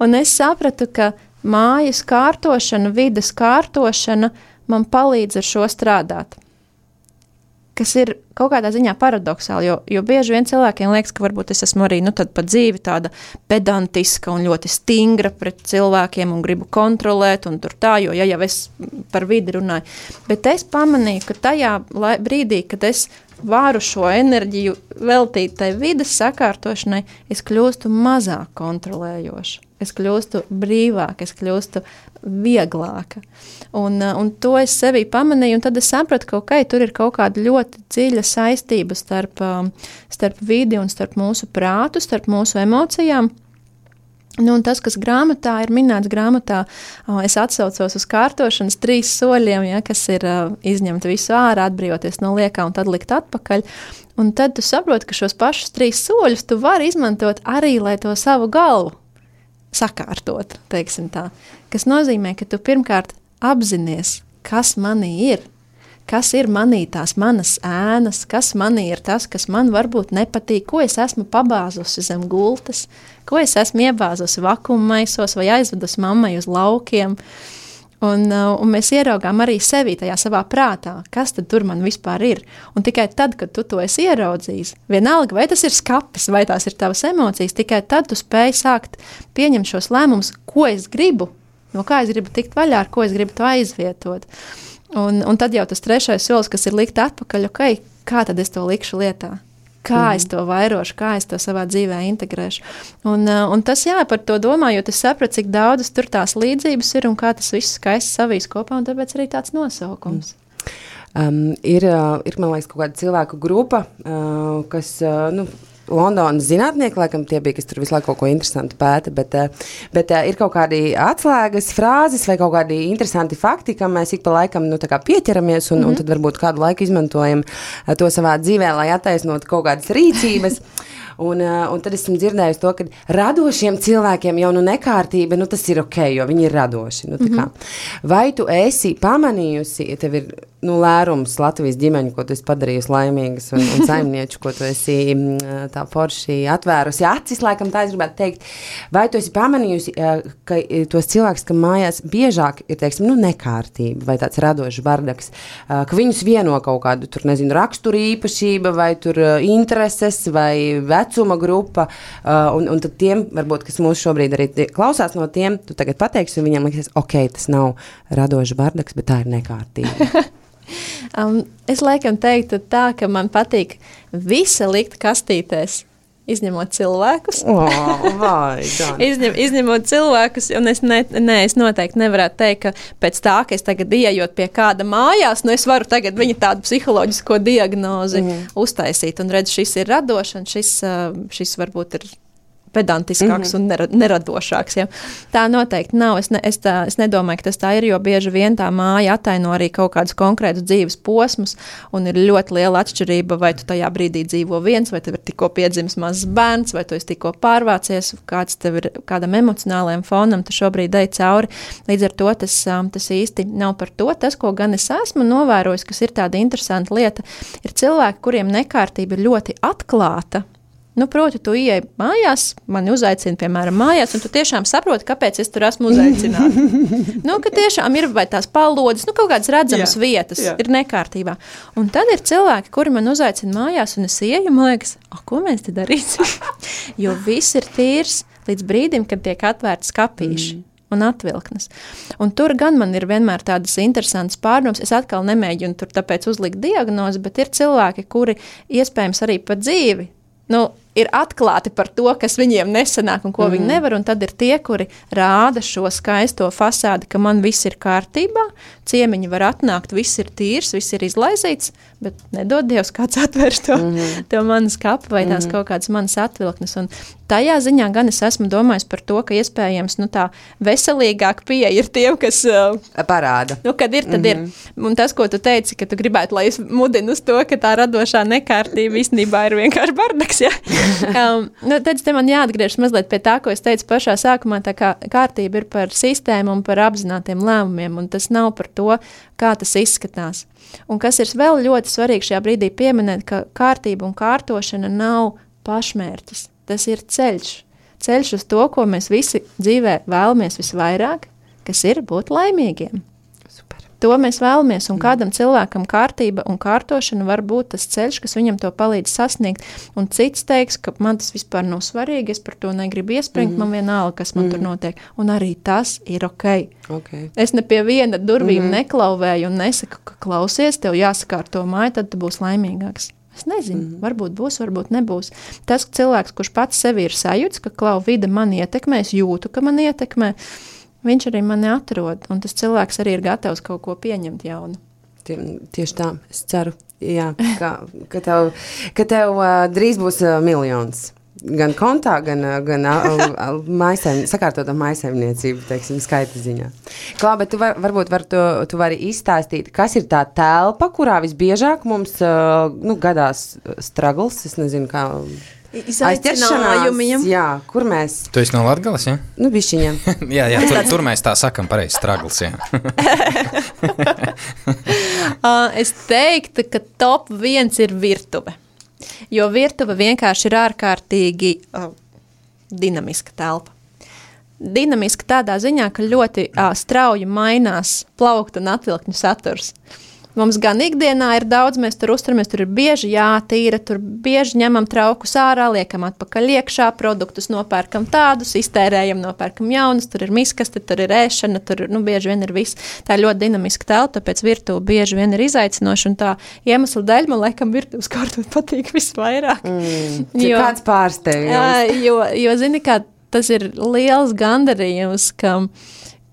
un es sapratu, ka mājas kārtošana, vides kārtošana man palīdz ar šo strādāt. Kas ir kaut kādā ziņā paradoxāli, jo bieži vien cilvēkiem liekas, ka varbūt es esmu arī tad pa dzīvi tāda pedantiska un ļoti stingra pret cilvēkiem un gribu kontrolēt un tur tā, jo jau es par vidi runāju. Bet es pamanīju, ka tajā brīdī, kad es varu šo enerģiju veltīt tai vides sakārtošanai, es kļūstu mazāk kontrolējoša. Es kļūstu brīvāka, es kļūstu vieglāka. Un to es sevī pamanīju, un tad es sapratu, ka tur ir kaut kāda ļoti dziļa saistība starp vidi un starp mūsu prātu, starp mūsu emocijām. Un tas, kas grāmatā ir minēts grāmatā, es atsaucos uz kārtošanas 3 soļiem, kas ir izņemt visu ārā, atbrīvoties no liekā un tad likt atpakaļ. Un tad tu saproti, ka šos pašus 3 soļus tu vari izmantot arī, lai to savu galvu sakārtot, teiksim tā. Kas nozīmē, ka tu pirmkārt apzinies, kas manī ir, kas ir manī tās manas ēnas, kas manī ir tas, kas man varbūt nepatīk, ko es esmu pabāzusi zem gultas, ko es esmu iebāzusi vakummaisos vai aizvedusi mammai uz laukiem. Un mēs ieraugām arī sevi tajā savā prātā, kas tad tur man vispār ir. Un tikai tad, kad tu to esi ieraudzījis, vienalga, vai tas ir skapis, vai tās ir tavas emocijas, tikai tad tu spēj sākt pieņemt šos lēmumus, ko es gribu, no kā es gribu tikt vaļā, ar ko es gribu to aizvietot. Un tad jau tas 3. solis, kas ir likt atpakaļ, kā tad es to likšu lietā? Kā es to vairošu, kā es to savā dzīvē integrēšu. Un tas, par to domājot, es sapratu, cik daudzas tur tās līdzības ir un kā tas viss skaisti savīs kopā, un tāpēc arī tāds nosaukums. Ir, man liekas, kaut kāda cilvēku grupa, kas, Londonas zinātnieki, laikam tie bija, kas tur visu laiku kaut ko interesantu pēta, bet ir kaut kādi atslēgas frāzes vai kaut kādi interesanti fakti, kam mēs ik pa laikam tā kā pieķeramies un tad varbūt kādu laiku izmantojam to savā dzīvē, lai attaisnotu kaut kādas rīcības. Un tad esmu dzirdējusi to, ka radošiem cilvēkiem jau nekārtība, tas ir ok, jo viņi ir radoši. Tā kā. Vai tu esi pamanījusi, ja tev ir lērums Latvijas ģimeņu, ko tu esi padarījusi laimīgas un saimnieču, ko tu esi tā forši atvērusi acis, laikam tā es gribētu teikt, vai tu esi pamanījusi, ka tos cilvēkus, ka mājās biežāk ir, teiksim, nekārtība vai tāds radošs bardaks, ka viņus vieno kaut kādu, tur, nezinu, raksturu īpašība vai tur intereses vai vecuma grupa, un tad tiem, varbūt, kas mūs šobrīd arī klausās no tiem, tu tagad pateiksi, un viņam liekas, ok, tas nav radošs bardaks, bet tā ir nekārtība. Es laikam teiktu tā, ka man patīk visa likt kastītēs, izņemot cilvēkus. Izņemot cilvēkus, un es noteikti nevarētu teikt, ka pēc tā, ka es tagad ieejot pie kāda mājās, es varu tagad viņa tādu psiholoģisko diagnozi uztaisīt, un redz, šis ir radošs, un šis varbūt ir pedantiskāks un neradošāks. Ja. Tā noteikti nav. Es nedomāju, ka tas tā ir, jo bieži vien tā māja ataino arī kaut kādus konkrētus dzīves posmus, un ir ļoti liela atšķirība, vai tu tajā brīdī dzīvo viens, vai tev ir tikko piedzimis mazs bērns, vai tu esi tikko pārvācies, kāds tev ir kādam emocionālajam fonam, tu šobrīd ej cauri. Līdz ar to tas īsti nav par to. Tas, ko gan es esmu novērojis, kas ir tāda interesanta lieta, ir cilvēki, kuriem nekārtība ir ļoti atklāta. Proti, tu ieej mājās, mani uzaicina, piemēram, mājās, un tu tiešām saproti, kāpēc es tur esmu uzaicināta. Ka tiešām ir vai tās palodas, kaut kādas redzamas vietas ir nekārtībā. Un tad ir cilvēki, kuri man uzaicina mājās, un es ieju, man liekas, ko mēs te darīsim? Jo viss ir tīrs līdz brīdim, kad tiek atvērts skapīši. Un atvilknes. Un tur gan man ir vienmēr tādas interesantas pārdomas. Es atkal nemēģinu tur tāpēc uzlikt diagnozi, bet ir cilvēki, kuri iespējams arī pa dzīvi ir atklāti par to, kas viņiem nesanāk un ko viņi nevar, un tad ir tie, kuri rāda šo skaisto fasādi, ka man viss ir kārtībā, ciemiņi var atnākt, viss ir tīrs, viss ir izlaizīts, bet nedod Dievs, kāds atvērs to manas kapu vai tās kaut kādas manas atvilknes. Un tajā ziņā gan es esmu domājis par to, ka iespējams tā veselīgāk pieeja ir tiem, kas parāda. Kad ir, tad ir. Un tas, ko tu teici, ka tu gribētu, lai es mudinu uz to, ka tā radošā nekārtība īstenībā ir vienkārši bardaks, ja? Tad te man jāatgriežas mazliet pie tā, ko es teicu pašā sākumā, tā kā kārtība ir par sistēmu un par apzinātiem lēmumiem, un tas nav par to, kā tas izskatās. Un kas ir vēl ļoti svarīgi šajā brīdī pieminēt, ka kārtība un kārtošana nav pašmērķis. Tas ir ceļš uz to, ko mēs visi dzīvē vēlamies visvairāk, kas ir būt laimīgiem. To mēs vēlamies, un kādam cilvēkam kārtība un kārtošana var būt tas ceļš, kas viņam to palīdz sasniegt, un cits teiks, ka man tas vispār nav svarīgi, es par to negribu iespringt, man vienalga, kas man tur notiek, un arī tas ir ok. Es ne pie viena durvīm neklauvēju un nesaku, ka klausies, tev jāsakārto māju, tad tu būsi laimīgāks. Es nezinu, varbūt būs, varbūt nebūs. Tas cilvēks, kurš pats sevi ir sajūts, ka klau vide mani ietekmē, es jūtu, ka man ietekmē, viņš arī mani atrod, un tas cilvēks arī ir gatavs kaut ko pieņemt jaunu. Tieši tā, es ceru, jā, ka tev drīz būs miljons. Gan kontā, gan sakārtotā mājsaimniecība, teiksim, skaita ziņā. Klā, bet tu vari izstāstīt, kas ir tā telpa, kurā visbiežāk mums gadās struggles, es nezinu, kā... Izaicinājumiem. Jā, kur mēs... Tu esi no Latgales, ja? Bišķiņam. jā, tur mēs tā sakam pareizi, struggles, jā. Es teiktu, ka top 1 ir virtuve. Jo virtuve vienkārši ir ārkārtīgi dinamiska telpa. Dinamiska tādā ziņā, ka ļoti strauji mainās plauktu un atvilkņu saturs. Mums gan ikdienā ir daudz, mēs tur uzturamies, tur ir bieži jātīra, tur bieži ņemam traukus ārā, liekam atpakaļ iekšā, produktus nopērkam tādus, iztērējam, nopērkam jaunus, tur ir miskaste, tur ir ēšana, tur bieži vien ir viss. Tā ir ļoti dinamiska telpa, tāpēc virtuve bieži vien ir izaicinoša, un tā iemesla dēļ man laikam virtuves kārtot patīk visvairāk. Kāds pārsteigums? Jo zini, kā tas ir liels gandarījums, ka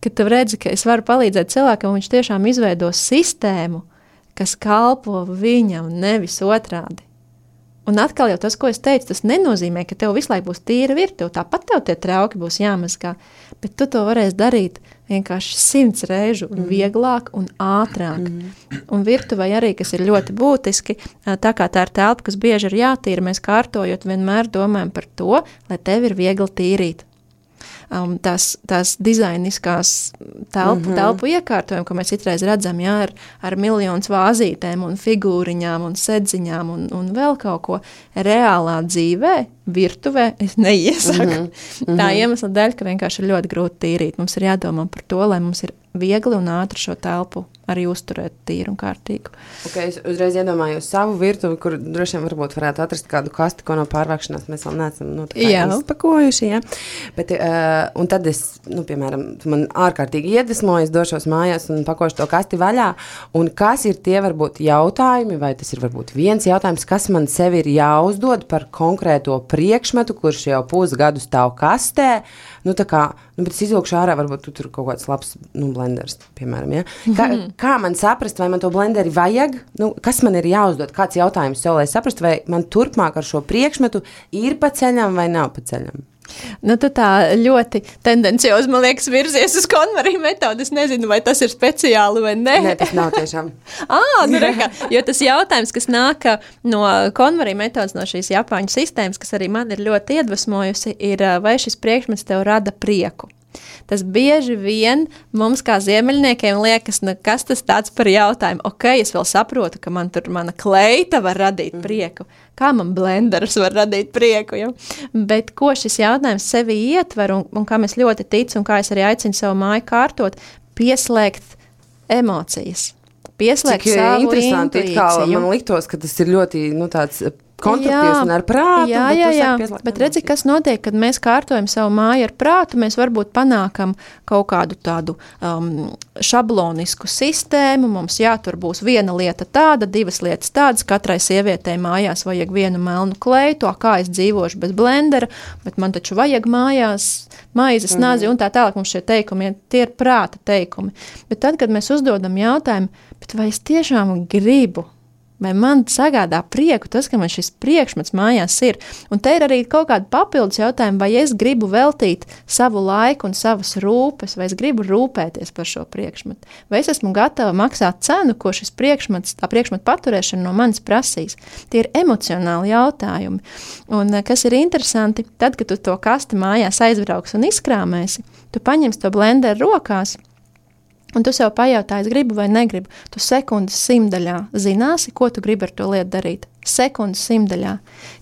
tu redzi, ka es varu palīdzēt cilvēkam, un viņš tiešām izveido sistēmu, kas kalpo viņam, nevis otrādi. Un atkal jau tas, ko es teicu, tas nenozīmē, ka tev visu laiku būs tīra virtuve. Tāpat tev tie trauki būs jāmazgā, bet tu to varēsi darīt vienkārši 100 reižu vieglāk un ātrāk. Un virtuvei arī, kas ir ļoti būtiski, tā kā tā ir telpa, kas bieži ir jātīra, mēs kārtojot vienmēr domājam par to, lai tev ir viegli tīrīt. Tās dizainiskās telpu iekārtojumi, ko mēs citreiz redzam, jā, ar miljonus vāzītēm un figūriņām un sedziņām un vēl kaut ko reālā dzīvē, virtuvē, es neiesaku. Tā iemesla dēļ, ka vienkārši ir ļoti grūti tīrīt. Mums ir jādomā par to, lai mums ir viegli un ātri šo telpu arī uzturēt tīru un kārtīgu. Okay, es uzreiz iedomājos savu virtuvi, kur droši vien varbūt varētu atrast kādu kasti, ko no pārvākšanās mēs vēl neesam izpakojuši. Ja? Bet, un tad es, piemēram, man ārkārtīgi iedvesmoju, es došos mājās un pakošu to kasti vaļā. Un kas ir tie varbūt jautājumi, vai tas ir varbūt viens jautājums, kas man sevi ir jāuzdod par konkrēto priekšmetu, kurš jau pusgadu stāv kastē. Bet es izvilkšu ārā, varbūt tur kaut kāds labs blenders, piemēram. Ja? Kā man saprast, vai man to blenderi vajag? Kas man ir jāuzdod? Kāds jautājums sev, lai saprastu, vai man turpmāk ar šo priekšmetu ir pa ceļam vai nav pa ceļam? Tu tā ļoti tendenciozi, man liekas, virzies uz KonMari metodu. Es nezinu, vai tas ir speciāli vai ne. Nē, tas nav tiešām. Reka, jo tas jautājums, kas nāk no KonMari metodas, no šīs Japāņu sistēmas, kas arī man ir ļoti iedvesmojusi, ir, vai šis priekšmets tev rada prieku. Tas bieži vien mums kā ziemeļniekiem liekas, kas tas tāds par jautājumu. Es vēl saprotu, ka man tur mana kleita var radīt prieku. Kā man blenderis var radīt prieku? Ja? Bet ko šis jautājums sevi ietver un kā mēs ļoti ticam un kā es arī aicinu savu māju kārtot, pieslēgt emocijas. Pieslēgt savu intuīciju. Man liktos, ka tas ir ļoti tāds konstruktīvs un ar prātu. Jā. Bet redzi, kas notiek, kad mēs kārtojam savu māju ar prātu, mēs varbūt panākam kaut kādu tādu šablonisku sistēmu. Mums tur būs viena lieta tāda, divas lietas tādas. Katrai sievietei mājās vajag vienu melnu kleitu, kā es dzīvošu bez blendera, bet man taču vajag mājās maizes, nazi un tā tālāk. Mums šie teikumi, tie ir prāta teikumi. Bet tad, kad mēs uzdodam jautājumu, bet vai es tiešām gribu, vai man sagādā prieku tas, ka man šis priekšmets mājās ir. Un te ir arī kaut kāda papildus jautājuma, vai es gribu veltīt savu laiku un savas rūpes, vai es gribu rūpēties par šo priekšmetu. Vai es esmu gatava maksāt cenu, ko šis priekšmets, tā priekšmeta paturēšana no manis prasīs. Tie ir emocionāli jautājumi. Un kas ir interesanti, tad, kad tu to kasti mājās aizbrauks un izkrāmēsi, tu paņemsi to blenderu rokās, un tu sev pajautā, es gribu vai negribu. Tu sekundes simtaļā zināsi, ko tu gribi ar to lietu darīt. Sekundes simtaļā.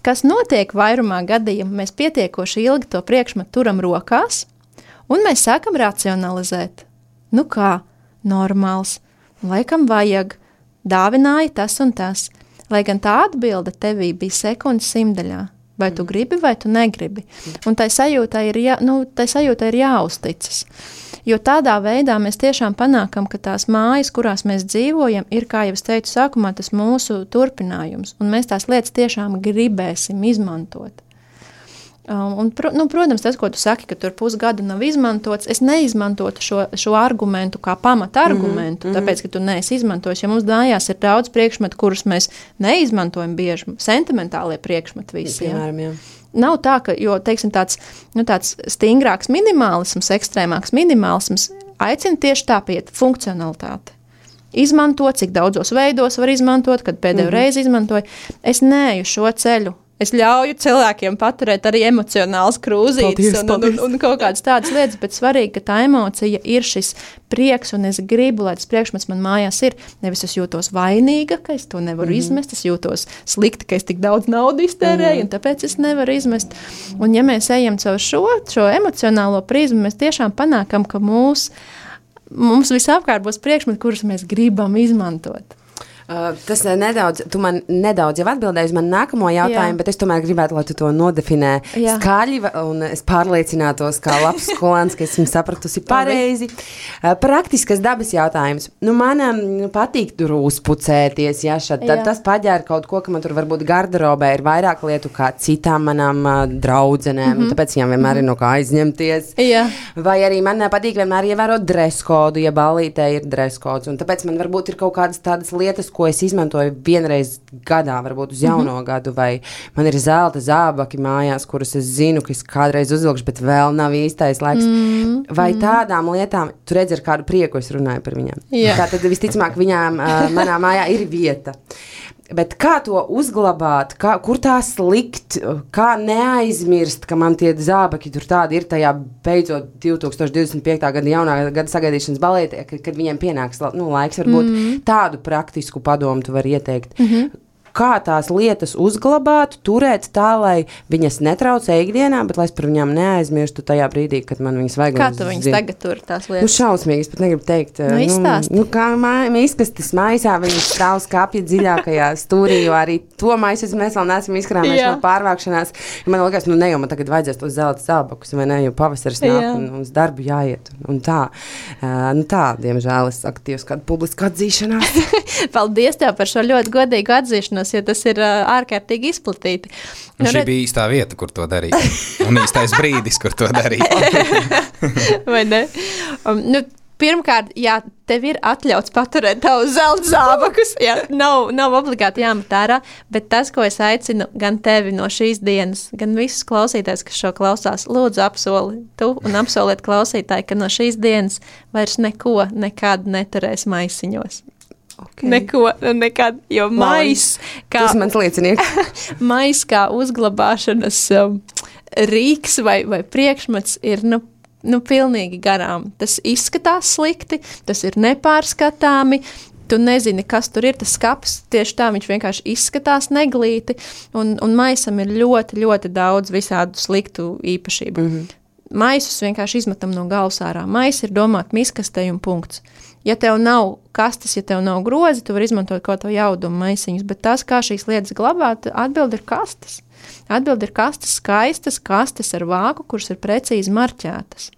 Kas notiek vairumā gadījumu, mēs pietiekoši ilgi to priekšmetu turam rokās, un mēs sākam racionalizēt. Kā? Normāls. Laikam vajag. Dāvināja tas un tas. Lai gan tā atbilde tevī bija sekundes simtaļā. Vai tu gribi, vai tu negribi. Un tai sajūtai ir jāuzticas. Jo tādā veidā mēs tiešām panākam, ka tās mājas, kurās mēs dzīvojam, ir, kā jau es teicu sākumā, tas mūsu turpinājums. Un mēs tās lietas tiešām gribēsim izmantot. Protams, tas, ko tu saki, ka tur pusgadu nav izmantots, es neizmantotu šo argumentu kā pamata argumentu, tāpēc, ka tu neesi izmantojis, jo mums mājās ir daudz priekšmetu, kurus mēs neizmantojam bieži, sentimentālie priekšmeti visi. Piemēram, jā. Nav tā, ka, jo, teiksim, tāds stingrāks minimālisms, ekstrēmāks minimālisms aicina tieši tā piet funkcionalitāte. Izmantot, cik daudzos veidos var izmantot, kad pēdējo reizi izmantoju. Es neeju šo ceļu. Es ļauju cilvēkiem paturēt arī emocionāls krūzītes un kaut kādas tādas lietas, bet svarīgi, ka tā emocija ir šis prieks, un es gribu, lai tas priekšmets man mājās ir. Nevis es jūtos vainīga, ka es to nevaru izmest, es jūtos slikti, ka es tik daudz naudu iztērēju, un tāpēc es nevaru izmest. Un ja mēs ejam caur šo emocionālo prizmu, mēs tiešām panākam, ka mums visapkārt būs priekšmeti, kurus mēs gribam izmantot. Tas nedaudz, tu man nedaudz jau atbildēji uz manu nākamo jautājumu, bet es tomēr gribētu, lai tu to nodefinē skaļi, un es pārliecinātos, kā labs skolēns, ka esmu sapratusi pareizi. Praktiskas dabas jautājums. Man patīk tur uzpucēties, tad tas paģēra kaut ko, ka man tur varbūt garderobē ir vairāk lietu kā citām manām draudzenēm, tāpēc viņām vienmēr ir no kā aizņemties. Vai arī man patīk vienmēr ievērot dreskodu, ja ballītē ir dreskods, un tāpēc man varbūt ir kaut kādas tādas lietas, ko es izmantoju vienreiz gadā, varbūt uz jauno gadu, vai man ir zelta zābaki mājās, kurus es zinu, ka es kādreiz uzvilkšu, bet vēl nav īstais laiks. Vai tādām lietām, tu redzi, ar kādu prieku es runāju par viņām. Tātad visticamāk viņām manā mājā ir vieta. Bet kā to uzglabāt, kur tā slikt, kā neaizmirst, ka man tie zābaki tur tādi ir tajā beidzot 2025. gada jaunā gada sagaidīšanas balētē, kad viņiem pienāks laiks, varbūt tādu praktisku padomu tu vari ieteikt. Kā tās lietas uzglabāt, turēt tā, lai viņas netraucē ikdienā, bet lai es par viņām neaizmirstu tajā brīdī, kad man viņas vajag. Kā tu viņas tagad tur tās lietas? Šausmīgi, es pat negribu teikt. Izstāst. Kā izkastis maisā, viņas stāv skapja dziļākajā stūrī, jo arī to maisu mēs vēl neesam izkrāmējuši no pārvākšanās. Man liekas, ne jau man tagad vajadzēs tos zelta zābakus, vai ne, jo pavasaris nāk un uz darbu jāiet. Un tā, diemžēl es aktīvs kādu publisku atzīšanās. Paldies tev par šo ļoti godīgu atzīšanos, jo tas ir ārkārtīgi izplatīti. Šī bija īstā vieta, kur to darīt. Un īstais brīdis, kur to darīt. Vai ne? Pirmkārt, tev ir atļauts paturēt tavus zelta zābakus. Nav obligāti jāmet ārā, bet tas, ko es aicinu gan tevi no šīs dienas, gan visus klausītājus, kas šo klausās, lūdzu apsoli tu un apsoliet klausītāji, ka no šīs dienas vairs neko nekad neturēs maisiņos. Okay. Neko, nekad, jo mais, kā, tas mans liecinieks. Mais kā uzglabāšanas rīks vai priekšmets ir, pilnīgi garām. Tas izskatās slikti, tas ir nepārskatāmi, tu nezini, kas tur ir, tas skapis, tieši tā viņš vienkārši izskatās neglīti, un maisam ir ļoti, ļoti daudz visādu sliktu īpašību. Maisus vienkārši izmetam no galvas ārā. Mais ir domāt miskastei un punkts. Ja tev nav kastes, ja tev nav grozi, tu vari izmantot kaut ko jaudumu maisiņus, bet tas, kā šīs lietas glabāt, atbildi ir kastes. Atbildi ir kastes skaistas, kastes ar vāku, kuras ir precīzi marķētas.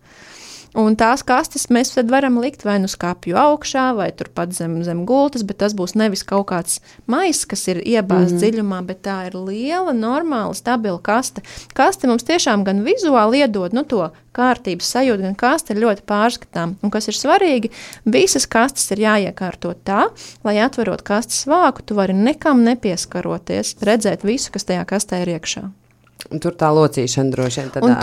Un tās kastes mēs tad varam likt vai nu skapju augšā, vai turpat zem gultas, bet tas būs nevis kaut kāds maiss, kas ir iebāzts dziļumā, bet tā ir liela, normāla, stabila kaste. Kaste mums tiešām gan vizuāli iedod to kārtības sajūtu, gan kaste ir ļoti pārskatām. Un kas ir svarīgi, visas kastes ir jāiekārto tā, lai atverot kastes vāku, tu vari nekam nepieskaroties, redzēt visu, kas tajā kastē ir iekšā. Un tur tā locīšana droši vien tad. Un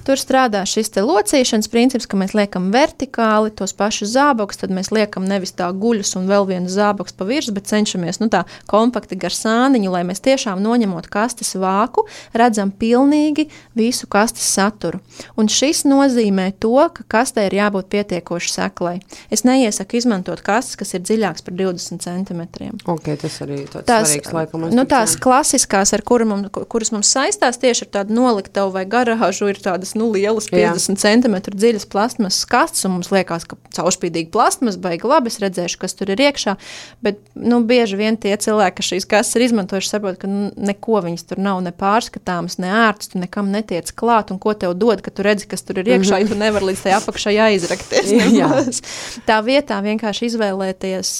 tur strādā šis te locīšanas princips, ka mēs liekam vertikāli tos pašus zābakus, tad mēs liekam nevis tā guļus un vēl vienu zābakus pa virs, bet cenšamies tā kompakti gar sāniņu, lai mēs tiešām noņemot kastes vāku, redzam pilnīgi visu kastes saturu. Un šis nozīmē to, ka kastē ir jābūt pietiekoši seklai. Es neiesaku izmantot kastes, kas ir dziļāks par 20 centimetriem. Ok, tas arī tāds svarīgs laikam. Tās klasiskās, ar kuras mums saistās tieši ar tādu noliktavu vai garāžu, ir tādas lielas 50 centimetru dziļas plastmasas kastes, un mums liekas, ka caurspīdīgi plastmas baigi labi, es redzēšu, kas tur ir iekšā, bet bieži vien tie cilvēki, kas šīs kastes ir izmantojuši, saprot, ka neko viņas tur nav ne pārskatāmas, ne ērtas, tu nekam netiec klāt, un ko tev dod, ka tu redzi, kas tur ir iekšā, ja tu nevar līdz tai apakšai aizrakties. Tā vietā vienkārši izvēlēties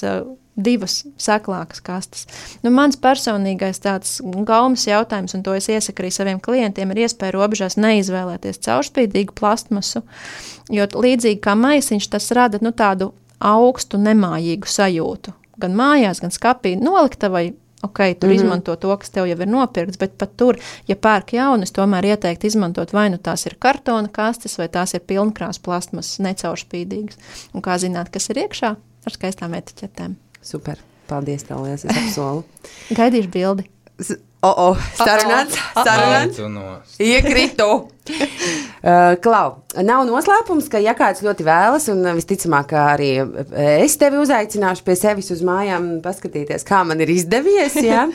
divas seklākas kastes. Mans personīgais tāds gaumas jautājums, un to es iesaku arī saviem klientiem, ir iespēja robežās neizvēlēties caurspīdīgu plastmasu, jo līdzīgi kā maisiņš, tas rada tādu augstu, nemājīgu sajūtu. Gan mājās, gan skapī noliktavai, tur izmanto to, kas tev jau ir nopirkts, bet pat tur, ja pērk jaunu, es tomēr ieteiktu izmantot vai tās ir kartona kastes, vai tās ir pilnkrās plastmasas, necaurspīdīgas. Un kā zināt, kas ir iekšā? Ar skaistām etiķetēm. Super. Paldies tev, liels, es apsolu. Gaidīšu bildi. Sarunāts. Iekritu. Klau, nav noslēpums, ka ja kāds ļoti vēlas, un visticamāk arī es tevi uzaicināšu pie sevis uz mājām paskatīties, kā man ir izdevies, ja?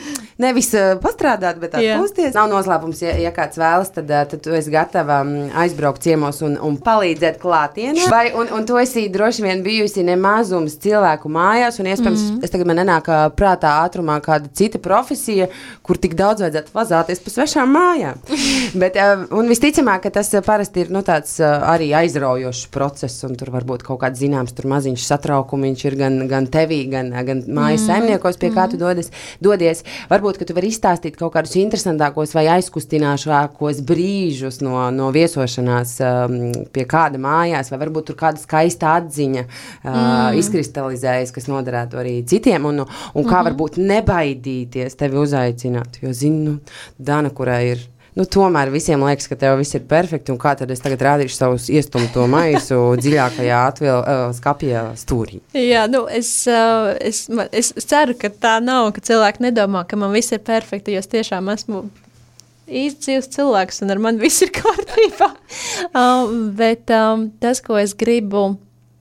Nevis pastrādāt, bet atpūsties. Nav noslēpums, ja kāds vēlas, tad tu esi gatava aizbraukt ciemos un palīdzēt klātienē. Un tu esi droši vien bijusi nemazums cilvēku mājās, un iespējams, es tagad man nenāk prātā ātrumā kāda cita profesija, kur tik daudz vajadzētu vazāties pa svešām mājām. Bet, un visticamāk, ka tas parasti parasti ir tāds arī aizraujošs process, un tur varbūt kaut kāds zināms, tur maziņš satraukumiņš ir gan tevī, gan mājas saimniekos, pie kā tu dodies. Varbūt, ka tu vari izstāstīt kaut kādus interesantākos vai aizkustināšākos brīžus no viesošanās pie kāda mājās, vai varbūt tur kāda skaista atziņa izkristalizējas, kas noderētu arī citiem, un kā varbūt nebaidīties tevi uzaicināt, jo zinu, Dana, kurai ir, tomēr visiem liekas, ka tev viss ir perfekti, un kā tad es tagad rādīšu savus iestumto maisu dziļākajā skapja stūrī. Jā, es ceru, ka tā nav, ka cilvēki nedomā, ka man viss ir perfekti, jo es tiešām esmu īsts dzīves cilvēks, un ar mani viss ir kārtībā. Bet tas, ko es gribu,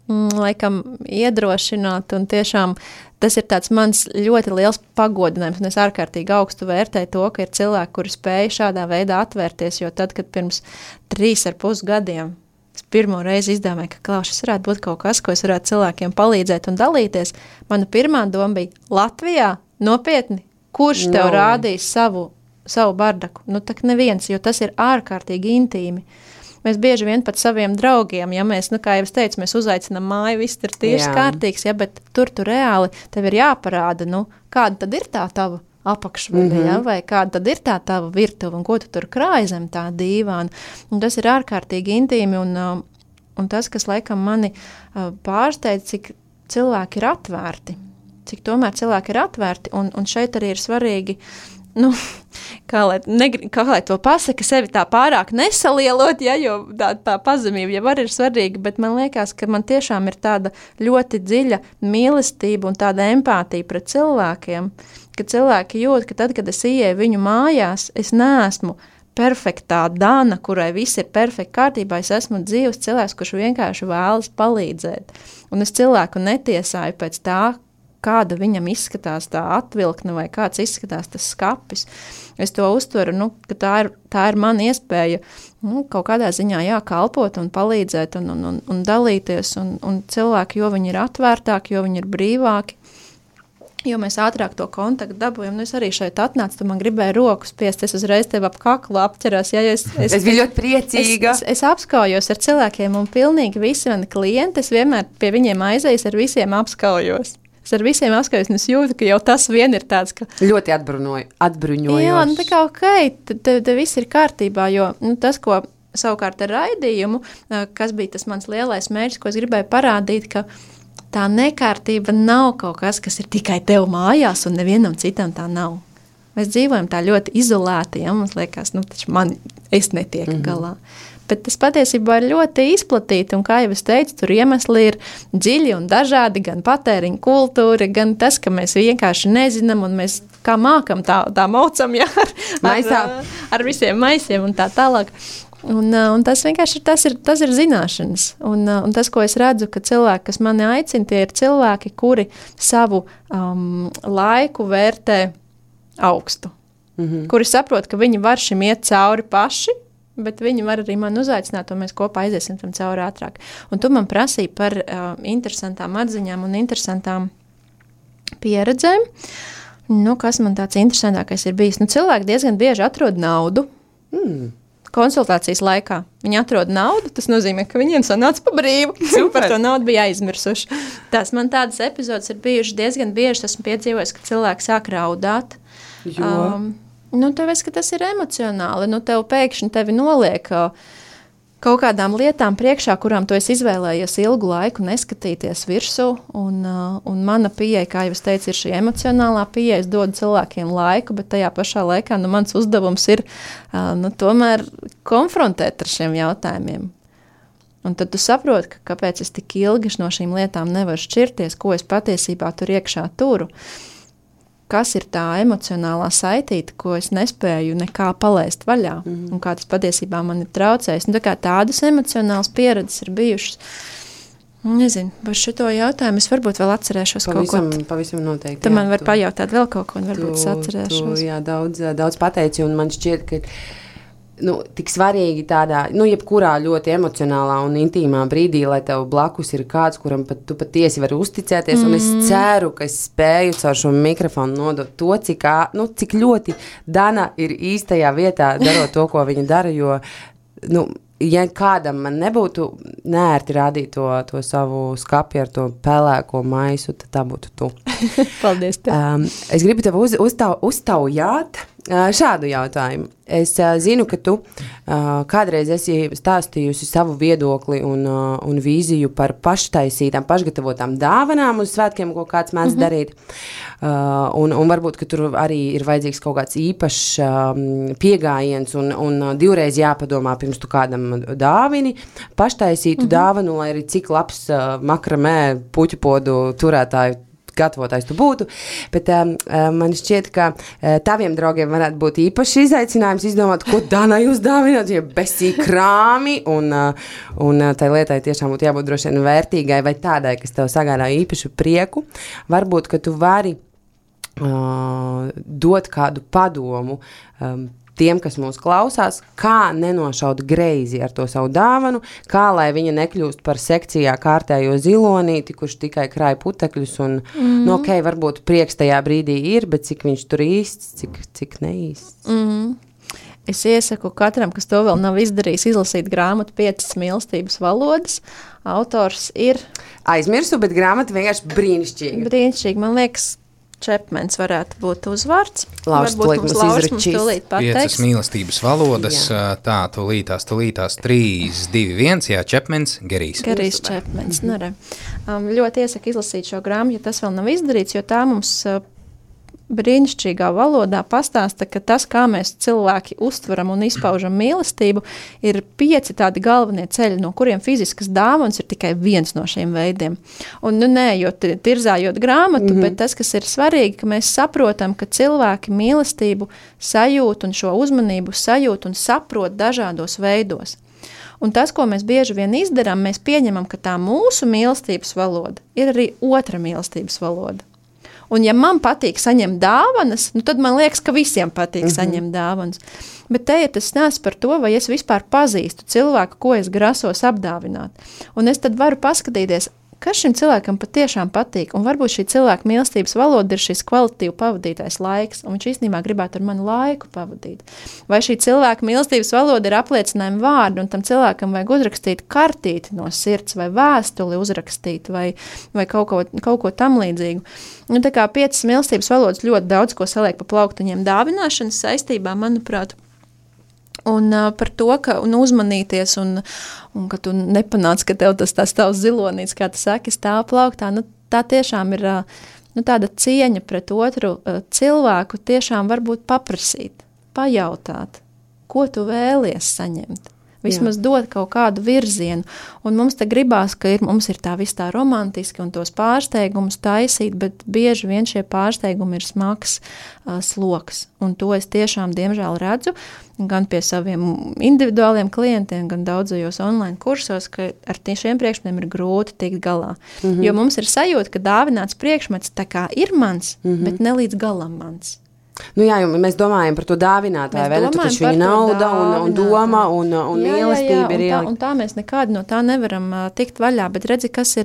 laikam, iedrošināt, un tiešām tas ir tāds mans ļoti liels pagodinājums, un es ārkārtīgi augstu vērtēju to, ka ir cilvēki, kuri spēja šādā veidā atvērties, jo tad, kad pirms 3,5 gadiem es pirmo reizi izdomāju, ka šis varētu būt kaut kas, ko es varētu cilvēkiem palīdzēt un dalīties, mana pirmā doma bija Latvijā, nopietni, kurš tev rādīs savu bardaku? Tak neviens, jo tas ir ārkārtīgi intīmi. Mēs bieži vien pat saviem draugiem, ja mēs, kā jau es teicu, mēs uzaicinām māju, viss ir tieši kārtīgs, ja, bet tur reāli tev ir jāparāda, kāda tad ir tā tava apakšvide, ja, vai kāda tad ir tā tava virtuve, un ko tu tur krāji zem tā dīvāna. Un tas ir ārkārtīgi intīmi, un tas, kas laikam mani pārsteidz, cik cilvēki ir atvērti, cik tomēr cilvēki ir atvērti, un šeit arī ir svarīgi, kā lai to pasaka, sevi tā pārāk nesalielot, ja, jo tā pazemība jau arī ir svarīga, bet man liekas, ka man tiešām ir tāda ļoti dziļa mīlestība un tāda empātija pret cilvēkiem, ka cilvēki jūt, ka tad, kad es ieeju viņu mājās, es neesmu perfektā Dana, kurai viss ir perfekti kārtībā, es esmu dzīves cilvēks, kurš vienkārši vēlas palīdzēt. Un es cilvēku netiesāju pēc tā, kāda viņam izskatās tā atvilkne vai kāds izskatās tas skapis. Es to uztveru, ka tā ir mana iespēja kaut kādā ziņā kalpot un palīdzēt un dalīties, un cilvēki, jo viņi ir atvērtāki, jo viņi ir brīvāki, jo mēs ātrāk to kontaktu dabūjam. Es arī šeit atnācu, tu man gribēji roku spiest, es uzreiz tev ap kaklu apķeros. Ja, es biju ļoti priecīga. Es apskaujos ar cilvēkiem, un pilnīgi visi mani klienti, es vienmēr pie viņiem aizējos, ar visiem apskaujos. Es ar visiem apskaujos, un es jūtu, ka jau tas vien ir tāds, ka... Ļoti atbruņojoši. Jā, tā kā te viss ir kārtībā, jo tas, ko savukārt ar raidījumu, kas bija tas mans lielais mērķis, ko es gribēju parādīt, ka tā nekārtība nav kaut kas ir tikai tev mājās, un nevienam citam tā nav. Mēs dzīvojam tā ļoti izolēti, ja mums liekas, taču es netieku galā. Bet tas patiesībā ir ļoti izplatīti, un kā jau es teicu, tur iemesli ir dziļi un dažādi, gan patēriņa kultūra, gan tas, ka mēs vienkārši nezinām, un mēs kā mākam tā maucam, ja, ar visiem maisiem un tā tālāk. Un tas vienkārši tas ir zināšanas. Un tas, ko es redzu, ka cilvēki, kas mani aicina, tie ir cilvēki, kuri savu laiku vērtē augstu. Kuri saprot, ka viņi var šim iet cauri paši, bet viņi var arī man uzaicināt, un mēs kopā aiziesim tam cauri ātrāk. Un tu man prasīji par interesantām atziņām un interesantām pieredzēm. Kas man tāds interesantākais ir bijis? Cilvēki diezgan bieži atrod naudu konsultācijas laikā. Viņi atrod naudu, tas nozīmē, ka viņiem sanāca pa brīvu. Par to naudu bija aizmirsuši. Man tādas epizodes ir bijušas diezgan bieži, esmu piedzīvojis, ka cilvēki sāk raudāt. Tev es, ka tas ir emocionāli. Tev pēkšņi tevi noliek kaut kādām lietām priekšā, kurām tu esi izvēlējies ilgu laiku neskatīties virsū. Un mana pieeja, kā jau es teicu, ir šī emocionālā pieeja. Es dodu cilvēkiem laiku, bet tajā pašā laikā mans uzdevums ir tomēr konfrontēt ar šiem jautājumiem. Un tad tu saproti, kāpēc es tik ilgi no šīm lietām nevaru šķirties, ko es patiesībā tur iekšā turu. Kas ir tā emocionālā saitīte, ko es nespēju nekā palaist vaļā, un kā tas patiesībā man ir traucējis. Tādas emocionālas pieredzes ir bijušas. Nezinu, par šito jautājumu es varbūt vēl atcerēšos kaut ko. Pavisam noteikti. Tu man var pajautāt vēl kaut ko, un varbūt es atcerēšos. Jā, daudz pateici, un man šķiet, ka tik svarīgi tādā, jebkurā ļoti emocionālā un intīmā brīdī, lai tev blakus ir kāds, kuram tu patiesi vari uzticēties, un es ceru, ka es spēju caur šo mikrofonu nodot to, cik ļoti Dana ir īstajā vietā darot to, ko viņa dara, jo, ja kādam man nebūtu neērti rādīt to savu skapi ar to pelēko maisu, tad tā būtu tu. Paldies tev. Es gribu tev uztaujāt šādu jautājumu. Es zinu, ka tu kādreiz esi stāstījusi savu viedokli un vīziju par paštaisītām, pašgatavotām dāvanām uz svētkiem, ko kāds mēdz darīt. Un varbūt, ka tur arī ir vajadzīgs kaut kāds īpašs piegājiens un divreiz jāpadomā pirms tu kādam dāvini, paštaisītu dāvanu, lai arī cik labs makramē puķupodu turētāju gatavotājs tu būtu, bet man šķiet, ka taviem draugiem varētu būt īpaši izaicinājums izdomāt, ko Danai uzdāvināt, ja besī krāmi, un tai lietai tiešām būtu jābūt droši vien vērtīgai vai tādai, kas tev sagādā īpašu prieku. Varbūt, ka tu vari dot kādu padomu tiem, kas mūs klausās, kā nenošaut greizi ar to savu dāvanu, kā lai viņa nekļūst par sekcijā kārtējo zilonīti, kurš tikai krāja putekļus, un, ok, varbūt prieks tajā brīdī ir, bet cik viņš tur īsts, cik neīsts. Es iesaku katram, kas to vēl nav izdarījis, izlasīt grāmatu 5 mīlestības valodas. Autors ir... Aizmirsu, bet grāmata vienkārši brīnišķīga. Brīnišķīgi, man liekas, Čepmens varētu būt uzvārds. Lauris mums tūlīt pateiks. 5 mīlestības valodas, tā, tūlītās 3, 2, 1, jā, Čepmens, Gerijs. Gerijs Čepmens, ļoti iesaku izlasīt šo grāmatu, ja tas vēl nav izdarīts, jo tā mums brīnišķīgā valodā pastāsta, ka tas, kā mēs cilvēki uztveram un izpaužam mīlestību, ir 5 tādi galvenie ceļi, no kuriem fiziskas dāvanas ir tikai viens no šiem veidiem. Un, neejot, tirzājot grāmatu, bet tas, kas ir svarīgi, ka mēs saprotam, ka cilvēki mīlestību sajūt un šo uzmanību sajūt un saprot dažādos veidos. Un tas, ko mēs bieži vien izdarām, mēs pieņemam, ka tā mūsu mīlestības valoda ir arī otra mīlestības valoda. Un ja man patīk saņemt dāvanas, tad man liekas, ka visiem patīk saņemt dāvanas. Bet te ir tas stāsts par to, vai es vispār pazīstu cilvēku, ko es grasos apdāvināt. Un es tad varu paskatīties, kas šim cilvēkam patiešām patīk. Un varbūt šī cilvēka mīlestības valoda ir šis kvalitīvi pavadītais laiks, un viņš īstenībā gribētu ar mani laiku pavadīt. Vai šī cilvēka mīlestības valoda ir apliecinājuma vārdi, un tam cilvēkam vajag uzrakstīt kartīti no sirds, vai vēstuli uzrakstīt, vai kaut ko tam līdzīgu. Tā kā 5 mīlestības valodas ļoti daudz ko saliek pa plauktiņiem dāvināšanas saistībā, manuprāt. Un par to, ka uzmanīties un ka tu nepanāc, ka tev tas tavs zilonīts, kā tu saki, stāv plauktā, tā tiešām ir tāda cieņa pret otru cilvēku, tiešām varbūt paprasīt, pajautāt, ko tu vēlies saņemt. Vismaz dot kaut kādu virzienu. Un mums te gribās, ka mums ir tā viss tā romantiski un tos pārsteigumus taisīt, bet bieži vien šie pārsteigumi ir smags sloks. Un to es tiešām, diemžēl, redzu gan pie saviem individuāliem klientiem, gan daudzajos online kursos, ka ar šiem priekšmetiem ir grūti tikt galā. Jo mums ir sajūta, ka dāvināts priekšmets tā kā ir mans, bet ne līdz galam mans. Jā, mēs domājam par to dāvinātāju, vai ne? Tu taču viņa nauda un doma un mīlestība ir ielikt. Un tā mēs nekādi no tā nevaram tikt vaļā, bet redzi, kas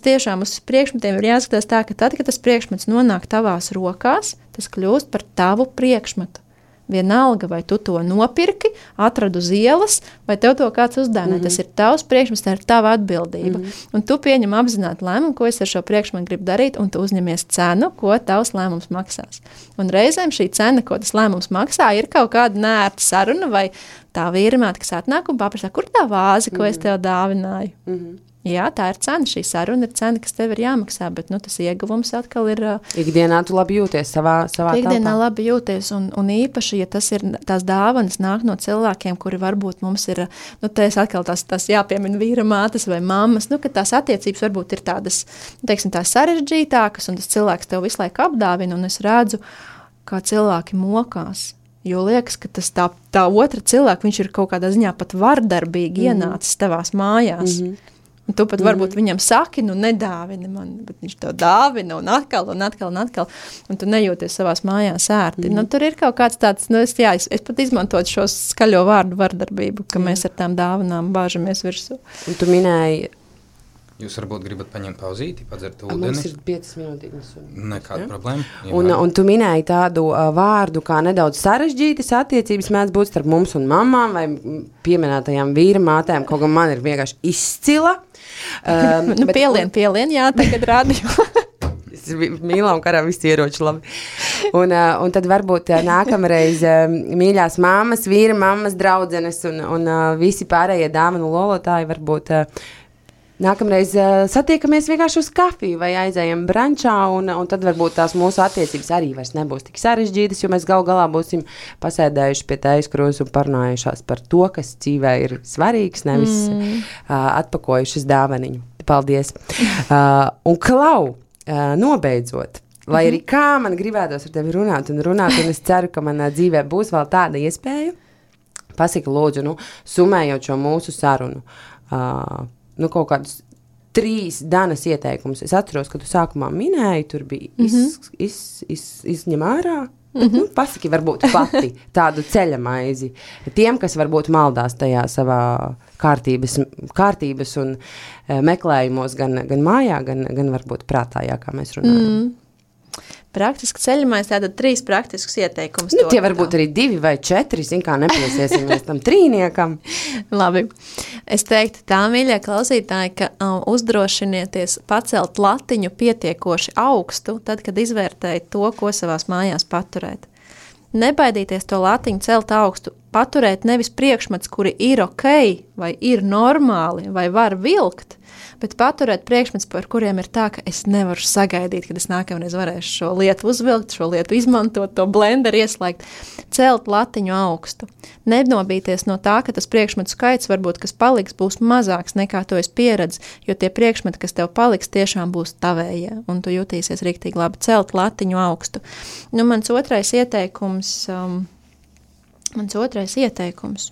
tiešām uz priekšmetiem ir jāskatās tā, ka tad, kad tas priekšmets nonāk tavās rokās, tas kļūst par tavu priekšmetu. Vienalga, vai tu to nopirki, atradu uz ielas, vai tev to kāds uzdāvināja. Tas ir tavs priekšmets, tā ir tava atbildība. Un tu pieņem apzināti lēmumu, ko es ar šo priekšmetu gribu darīt, un tu uzņemies cenu, ko tavs lēmums maksās. Un reizēm šī cena, ko tas lēmums maksā, ir kaut kāda neērta saruna, vai tā vīrimāte, kas atnāk un paprasā, kur tā vāze, ko es tev dāvināju. Jā, tā ir cena, šī saruna ir cena, kas tev ir jāmaksā, bet tas ieguvums atkal ir... Ikdienā tu labi jūties savā Ikdienā labi jūties, un īpaši, ja tas ir tās dāvanas nāk no cilvēkiem, kuri varbūt mums ir, te es atkal tās jāpiemina vīra mātes vai mammas, ka tās attiecības varbūt ir tādas, teiksim, tās sarežģītākas, un tas cilvēks tev visu laiku apdāvina, un es redzu, kā cilvēki mokās. Jo liekas, ka tas tā otra cilvēka, viņš ir kaut kādā ziņā pat vardarbīgi ienācis tavās mājās. Un tu pat varbūt viņam saki, nedāvini man, bet viņš tev dāvina un atkal, un tu nejūties savās mājās ērti. Tur ir kaut kāds tāds, es pat izmantotu šo skaļo vārdu vardarbību, ka mēs ar tām dāvanām bāžamies virsū. Un tu minēji Jūs varbūt gribat paņemt pauzīti, padzert ūdeni? Mums ir 5 minūtīgas. Nekāda problēma. Un tu minēji tādu vārdu, kā nedaudz sarežģītas attiecības mēdz būt starp mums un mamām vai pieminētajām vīra mātēm, kaut gan man ir vienkārši izcila. Pielien, jā, tagad radio. Mīlām karā visi ieroči labi. Un tad varbūt nākamreiz mīļās mammas, vīra mammas, draudzenes un visi pārējie dāvanu lolotāji varbūt nākamreiz satiekamies vienkārši uz kafiju vai aizējam brančā un tad varbūt tās mūsu attiecības arī vairs nebūs tik sarežģītas, jo mēs gal galā būsim pasēdējuši pie tējas krūzes un parunājušās par to, kas dzīvē ir svarīgs, nevis atpakojušas dāvaniņu. Paldies. Un Klau, nobeidzot, lai arī kā man gribētos ar tevi runāt, un es ceru, ka manā dzīvē būs vēl tāda iespēja, pasaki lūdzu, summējot šo mūsu sarunu, kaut kādus 3 Danas ieteikumus. Es atceros, ka tu sākumā minēji, tur bija izņem ārā. Pasaki varbūt pati tādu ceļamaizi. Tiem, kas varbūt maldās tajā savā kārtības un meklējumos gan mājā, gan varbūt prātā, jā, kā mēs runājam. Praktiski ceļamais, tātad 3 praktiskus ieteikumus. Tie varbūt arī 2 vai 4, kā nepiesiesimies tam trīniekam. Labi. Es teiktu tā, mīļie klausītāji, ka uzdrošinieties pacelt latiņu pietiekoši augstu, tad, kad izvērtējat to, ko savās mājās paturēt. Nebaidīties to latiņu celt augstu, paturēt nevis priekšmets, kuri ir ok, vai ir normāli, vai var vilkt, bet paturēt priekšmets, par kuriem ir tā, ka es nevaru sagaidīt, kad es nākamreiz varēšu šo lietu uzvilkt, šo lietu izmantot, to blenderu ieslēgt, celt latiņu augstu. Nenobīties no tā, ka tas priekšmetu skaits varbūt, kas paliks, būs mazāks nekā to es pieredzu, jo tie priekšmeti, kas tev paliks, tiešām būs tavējie, un tu jutīsies riktīgi labi, celt latiņu augstu. Mans otrais ieteikums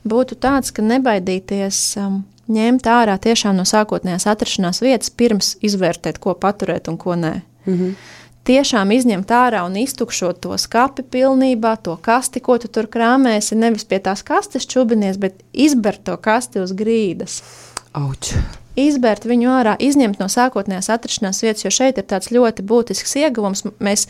būtu tāds, ka nebaidīties ņemt ārā tiešām no sākotnējās atrašanās vietas, pirms izvērtēt, ko paturēt un ko nē. Tiešām izņemt ārā un iztukšot to skapi pilnībā, to kasti, ko tu tur krāmēsi, nevis pie tās kastes čubinies, bet izbert to kasti uz grīdas. Auč. Izbērt viņu ārā, izņemt no sākotnējās atrašanās vietas, jo šeit ir tāds ļoti būtisks ieguvums. Mēs,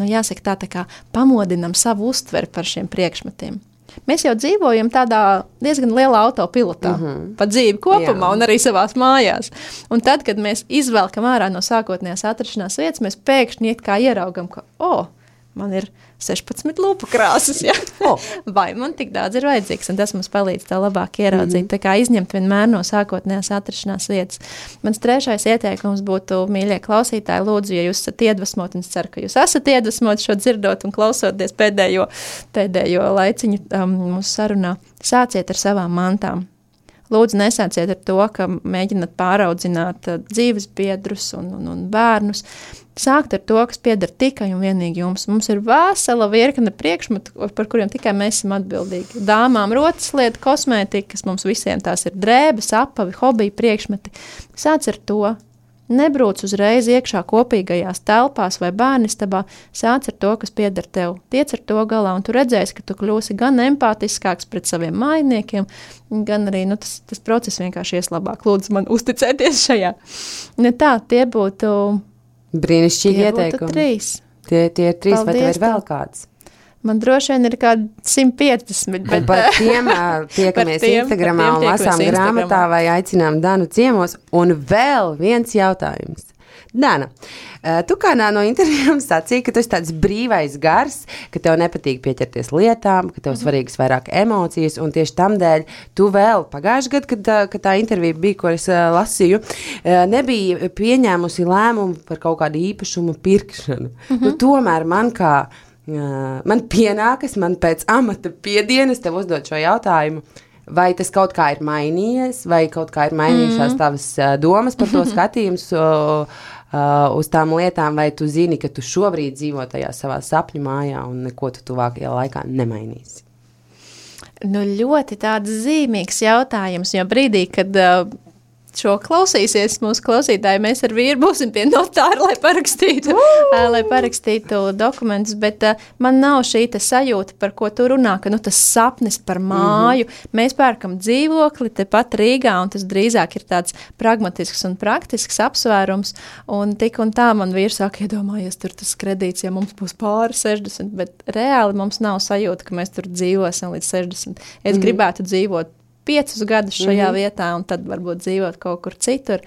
jāsaka tā kā pamodinam savu uztveri par šiem priekšmetiem. Mēs jau dzīvojam tādā diezgan lielā autopilotā pa dzīvi kopumā un arī savās mājās. Un tad, kad mēs izvelkam ārā no sākotnējās atrašanās vietas, mēs pēkšņi it kā ieraugam, ka, man ir 16 lūpu krāsas, ja? Vai man tik daudz ir vajadzīgs, un tas mums palīdz tā labāk ieraudzīt, tā kā izņemt vienmēr no sākotnējās atrašanās vietas. Mans 3. ieteikums būtu, mīļie klausītāji, lūdzu, ja jūs esat iedvesmoti, un es ceru, ka jūs esat iedvesmoti šo dzirdot un klausoties pēdējo laiciņu mūsu sarunā, sāciet ar savām mantām. Lūdzu, nesāciet ar to, ka mēģināt pāraudzināt dzīves biedrus un bērnus. Sākt ar to, kas pieder tikai un vienīgi jums. Mums ir vesela virkne priekšmetu, par kuriem tikai mēs esam atbildīgi. Dāmām rotaslieta, kosmētika, kas mums visiem tās ir drēbes, apavi, hobiji, priekšmeti. Sāc ar to. Nebrūc uzreiz iekšā kopīgajās telpās vai bērnistabā, sāc ar to, kas pieder tev. Tiec ar to galā, un tu redzēsi, ka tu kļūsi gan empātiskāks pret saviem mājiniekiem, gan arī tas process vienkārši ies labāk. Lūdzu, man uzticēties šajā. Tie būtu brīnišķīgi ieteikumi. 3. Tie ir 3, vai tev ir vēl kāds? Man droši vien ir kādi 150. Bet par tiem tiekamies Instagramā un lasām grāmatā vai aicinām Danu ciemos. Un vēl viens jautājums. Dana, tu kādā no intervijām sacīji, ka tu esi tāds brīvais gars, ka tev nepatīk pieķerties lietām, ka tev svarīgas vairāk emocijas, un tieši tamdēļ tu vēl pagājuši gadu, kad tā intervija bija, ko es lasīju, nebija pieņēmusi lēmumu par kaut kādu īpašumu pirkšanu. Tomēr man pienākas, man pēc amata piedienas tev uzdot šo jautājumu, vai tas kaut kā ir mainījies, vai kaut kā ir mainījušās tavas domas par to skatījums uz tām lietām, vai tu zini, ka tu šobrīd dzīvo tajā savā sapņu mājā un neko tu tuvākajā laikā nemainīsi? Ļoti tāds zīmīgs jautājums, jo brīdī, kad šo klausīsies mūsu klausītāji, mēs ar vīru būsim pie notāra, lai parakstītu dokumentus, bet man nav šī sajūta, par ko tu runā, ka tas sapnis par māju. Mēs pērkam dzīvokli tepat Rīgā, un tas drīzāk ir tāds pragmatisks un praktisks apsvērums, un tik un tā man vīrs sāk iedomājies tur tas kredīts, ja mums būs pāri 60, bet reāli mums nav sajūta, ka mēs tur dzīvosim līdz 60. Es gribētu dzīvot 5 gadus šajā vietā, un tad varbūt dzīvot kaut kur citur.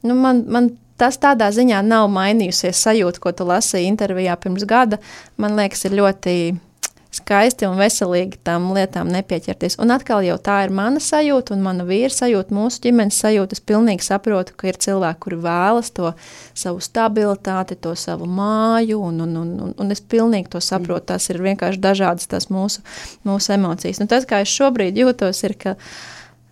Nu, man tas tādā ziņā nav mainījusies sajūta, ko tu lasīji intervijā pirms gada. Man liekas, ir ļoti skaisti un veselīgi tām lietām nepieķerties. Un atkal jau tā ir mana sajūta un mana vīra sajūta, mūsu ģimenes sajūta. Es pilnīgi saprotu, ka ir cilvēki, kuri vēlas to savu stabilitāti, to savu māju, un es pilnīgi to saprotu. Tas ir vienkārši dažādas tās mūsu emocijas. Nu, tas, kā es šobrīd jūtos, ir, ka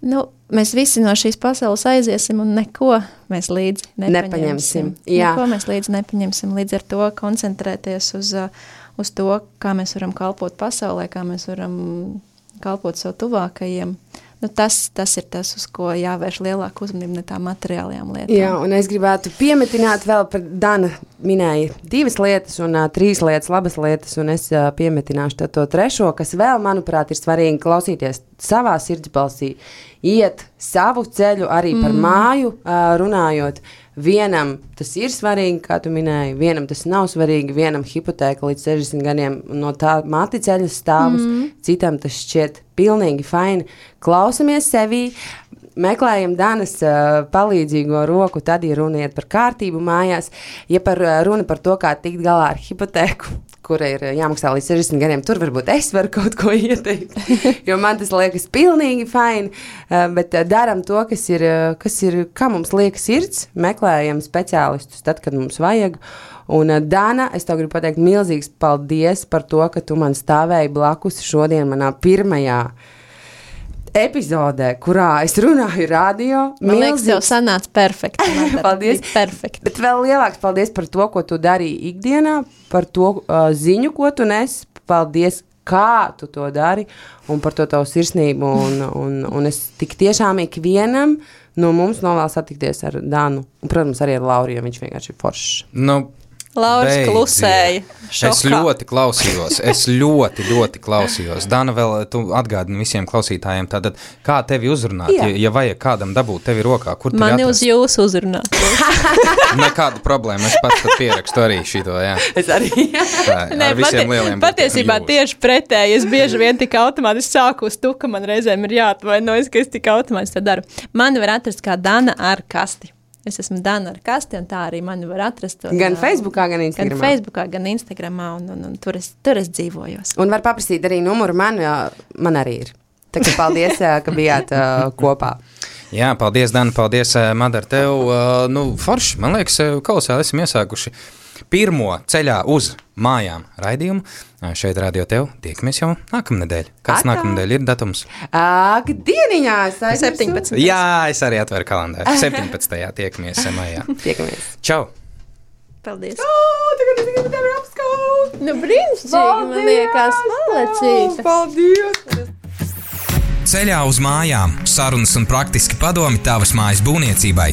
mēs visi no šīs pasaules aiziesim un neko mēs līdzi nepaņemsim. Neko mēs līdzi nepaņemsim. Līdz ar to koncentrēties uz to, kā mēs varam kalpot pasaulē, kā mēs varam kalpot savu tuvākajiem. Tas ir tas, uz ko jāvērš lielāku uzmanību, ne tā materiālajām lietām. Jā, un es gribētu piemetināt vēl par Dana minēja 2 lietas un 3 lietas, labas lietas, un es piemetināšu to 3, kas vēl, manuprāt, ir svarīgi klausīties savā sirdsbalsī, iet savu ceļu arī par māju runājot. Vienam tas ir svarīgi, kā tu minēji, vienam tas nav svarīgi, vienam hipotēka līdz 60 gadiem no tā mati ceļas stāvus, citam tas šķiet pilnīgi faini. Klausamies sevī, meklējam Danas palīdzīgo roku, tad ir runa iet par kārtību mājās, ja runa par to, kā tikt galā ar hipotēku, kura ir jāmaksā līdz 60 gadiem, tur varbūt es varu kaut ko ieteikt, jo man tas liekas pilnīgi faini, bet daram to, kas ir, kā mums liekas sirds, meklējam speciālistus tad, kad mums vajag, un Dana, es tev gribu pateikt milzīgs paldies par to, ka tu man stāvēji blakus šodien manā pirmajā epizodē, kurā es runāju radio. Man liekas, tev sanāca perfekti. Paldies. Perfekti. Bet vēl lielāks paldies par to, ko tu darīji ikdienā, par to ziņu, ko tu nes. Paldies, kā tu to dari un par to tavu sirsnību. Un es tik tiešām ikvienam no mums novēlu satikties ar Danu. Un, protams, arī ar Lauru, jo viņš vienkārši ir foršs. Lauris klusēja. Šokā. Es ļoti klausījos. Dana, vēl tu atgādini visiem klausītājiem, tātad, kā tevi uzrunāt, ja vajag kādam dabūt tevi rokā, kur tevi Mani atrast? uz jūsu uzrunāt. Nekāda problēma, es pats tad pierakstu arī šito, jā. Es arī. Ar visiem lieliem patiesībā tieši pretēji, es bieži vien tik automātiski sāku uz tu, ka man reizēm ir jāatvainojas, ka es tik automātiski to daru. Mani var atrast kā Dana ar kasti. Es esmu Dana ar kasti, un tā arī mani var atrast. Gan Facebookā, gan Instagramā. Gan Facebookā, gan Instagramā, un tur es dzīvojos. Un var paprasīt arī numuru man arī ir. Tā kā paldies, ka bijāt kopā. Jā, paldies, Dana, paldies, Madara, tev. Forši, man liekas, kolosāli esam iesākuši pirmo ceļā uz mājām raidījumu. Šeit radio tev tiekamies jau nākamnedēļ. Kāds nākamnedēļ ir datums? Dieniņā! 17. Jā, es arī atveru kalendāru. 17. tiekamies mājā. Tiekamies. Čau! Paldies! Tagad es gribu tevi apskaut! Brīnišķīgi, man liekas, malecīte! Paldies! Ceļā uz mājām. Sarunas un praktiski padomi tavas mājas būvniecībai.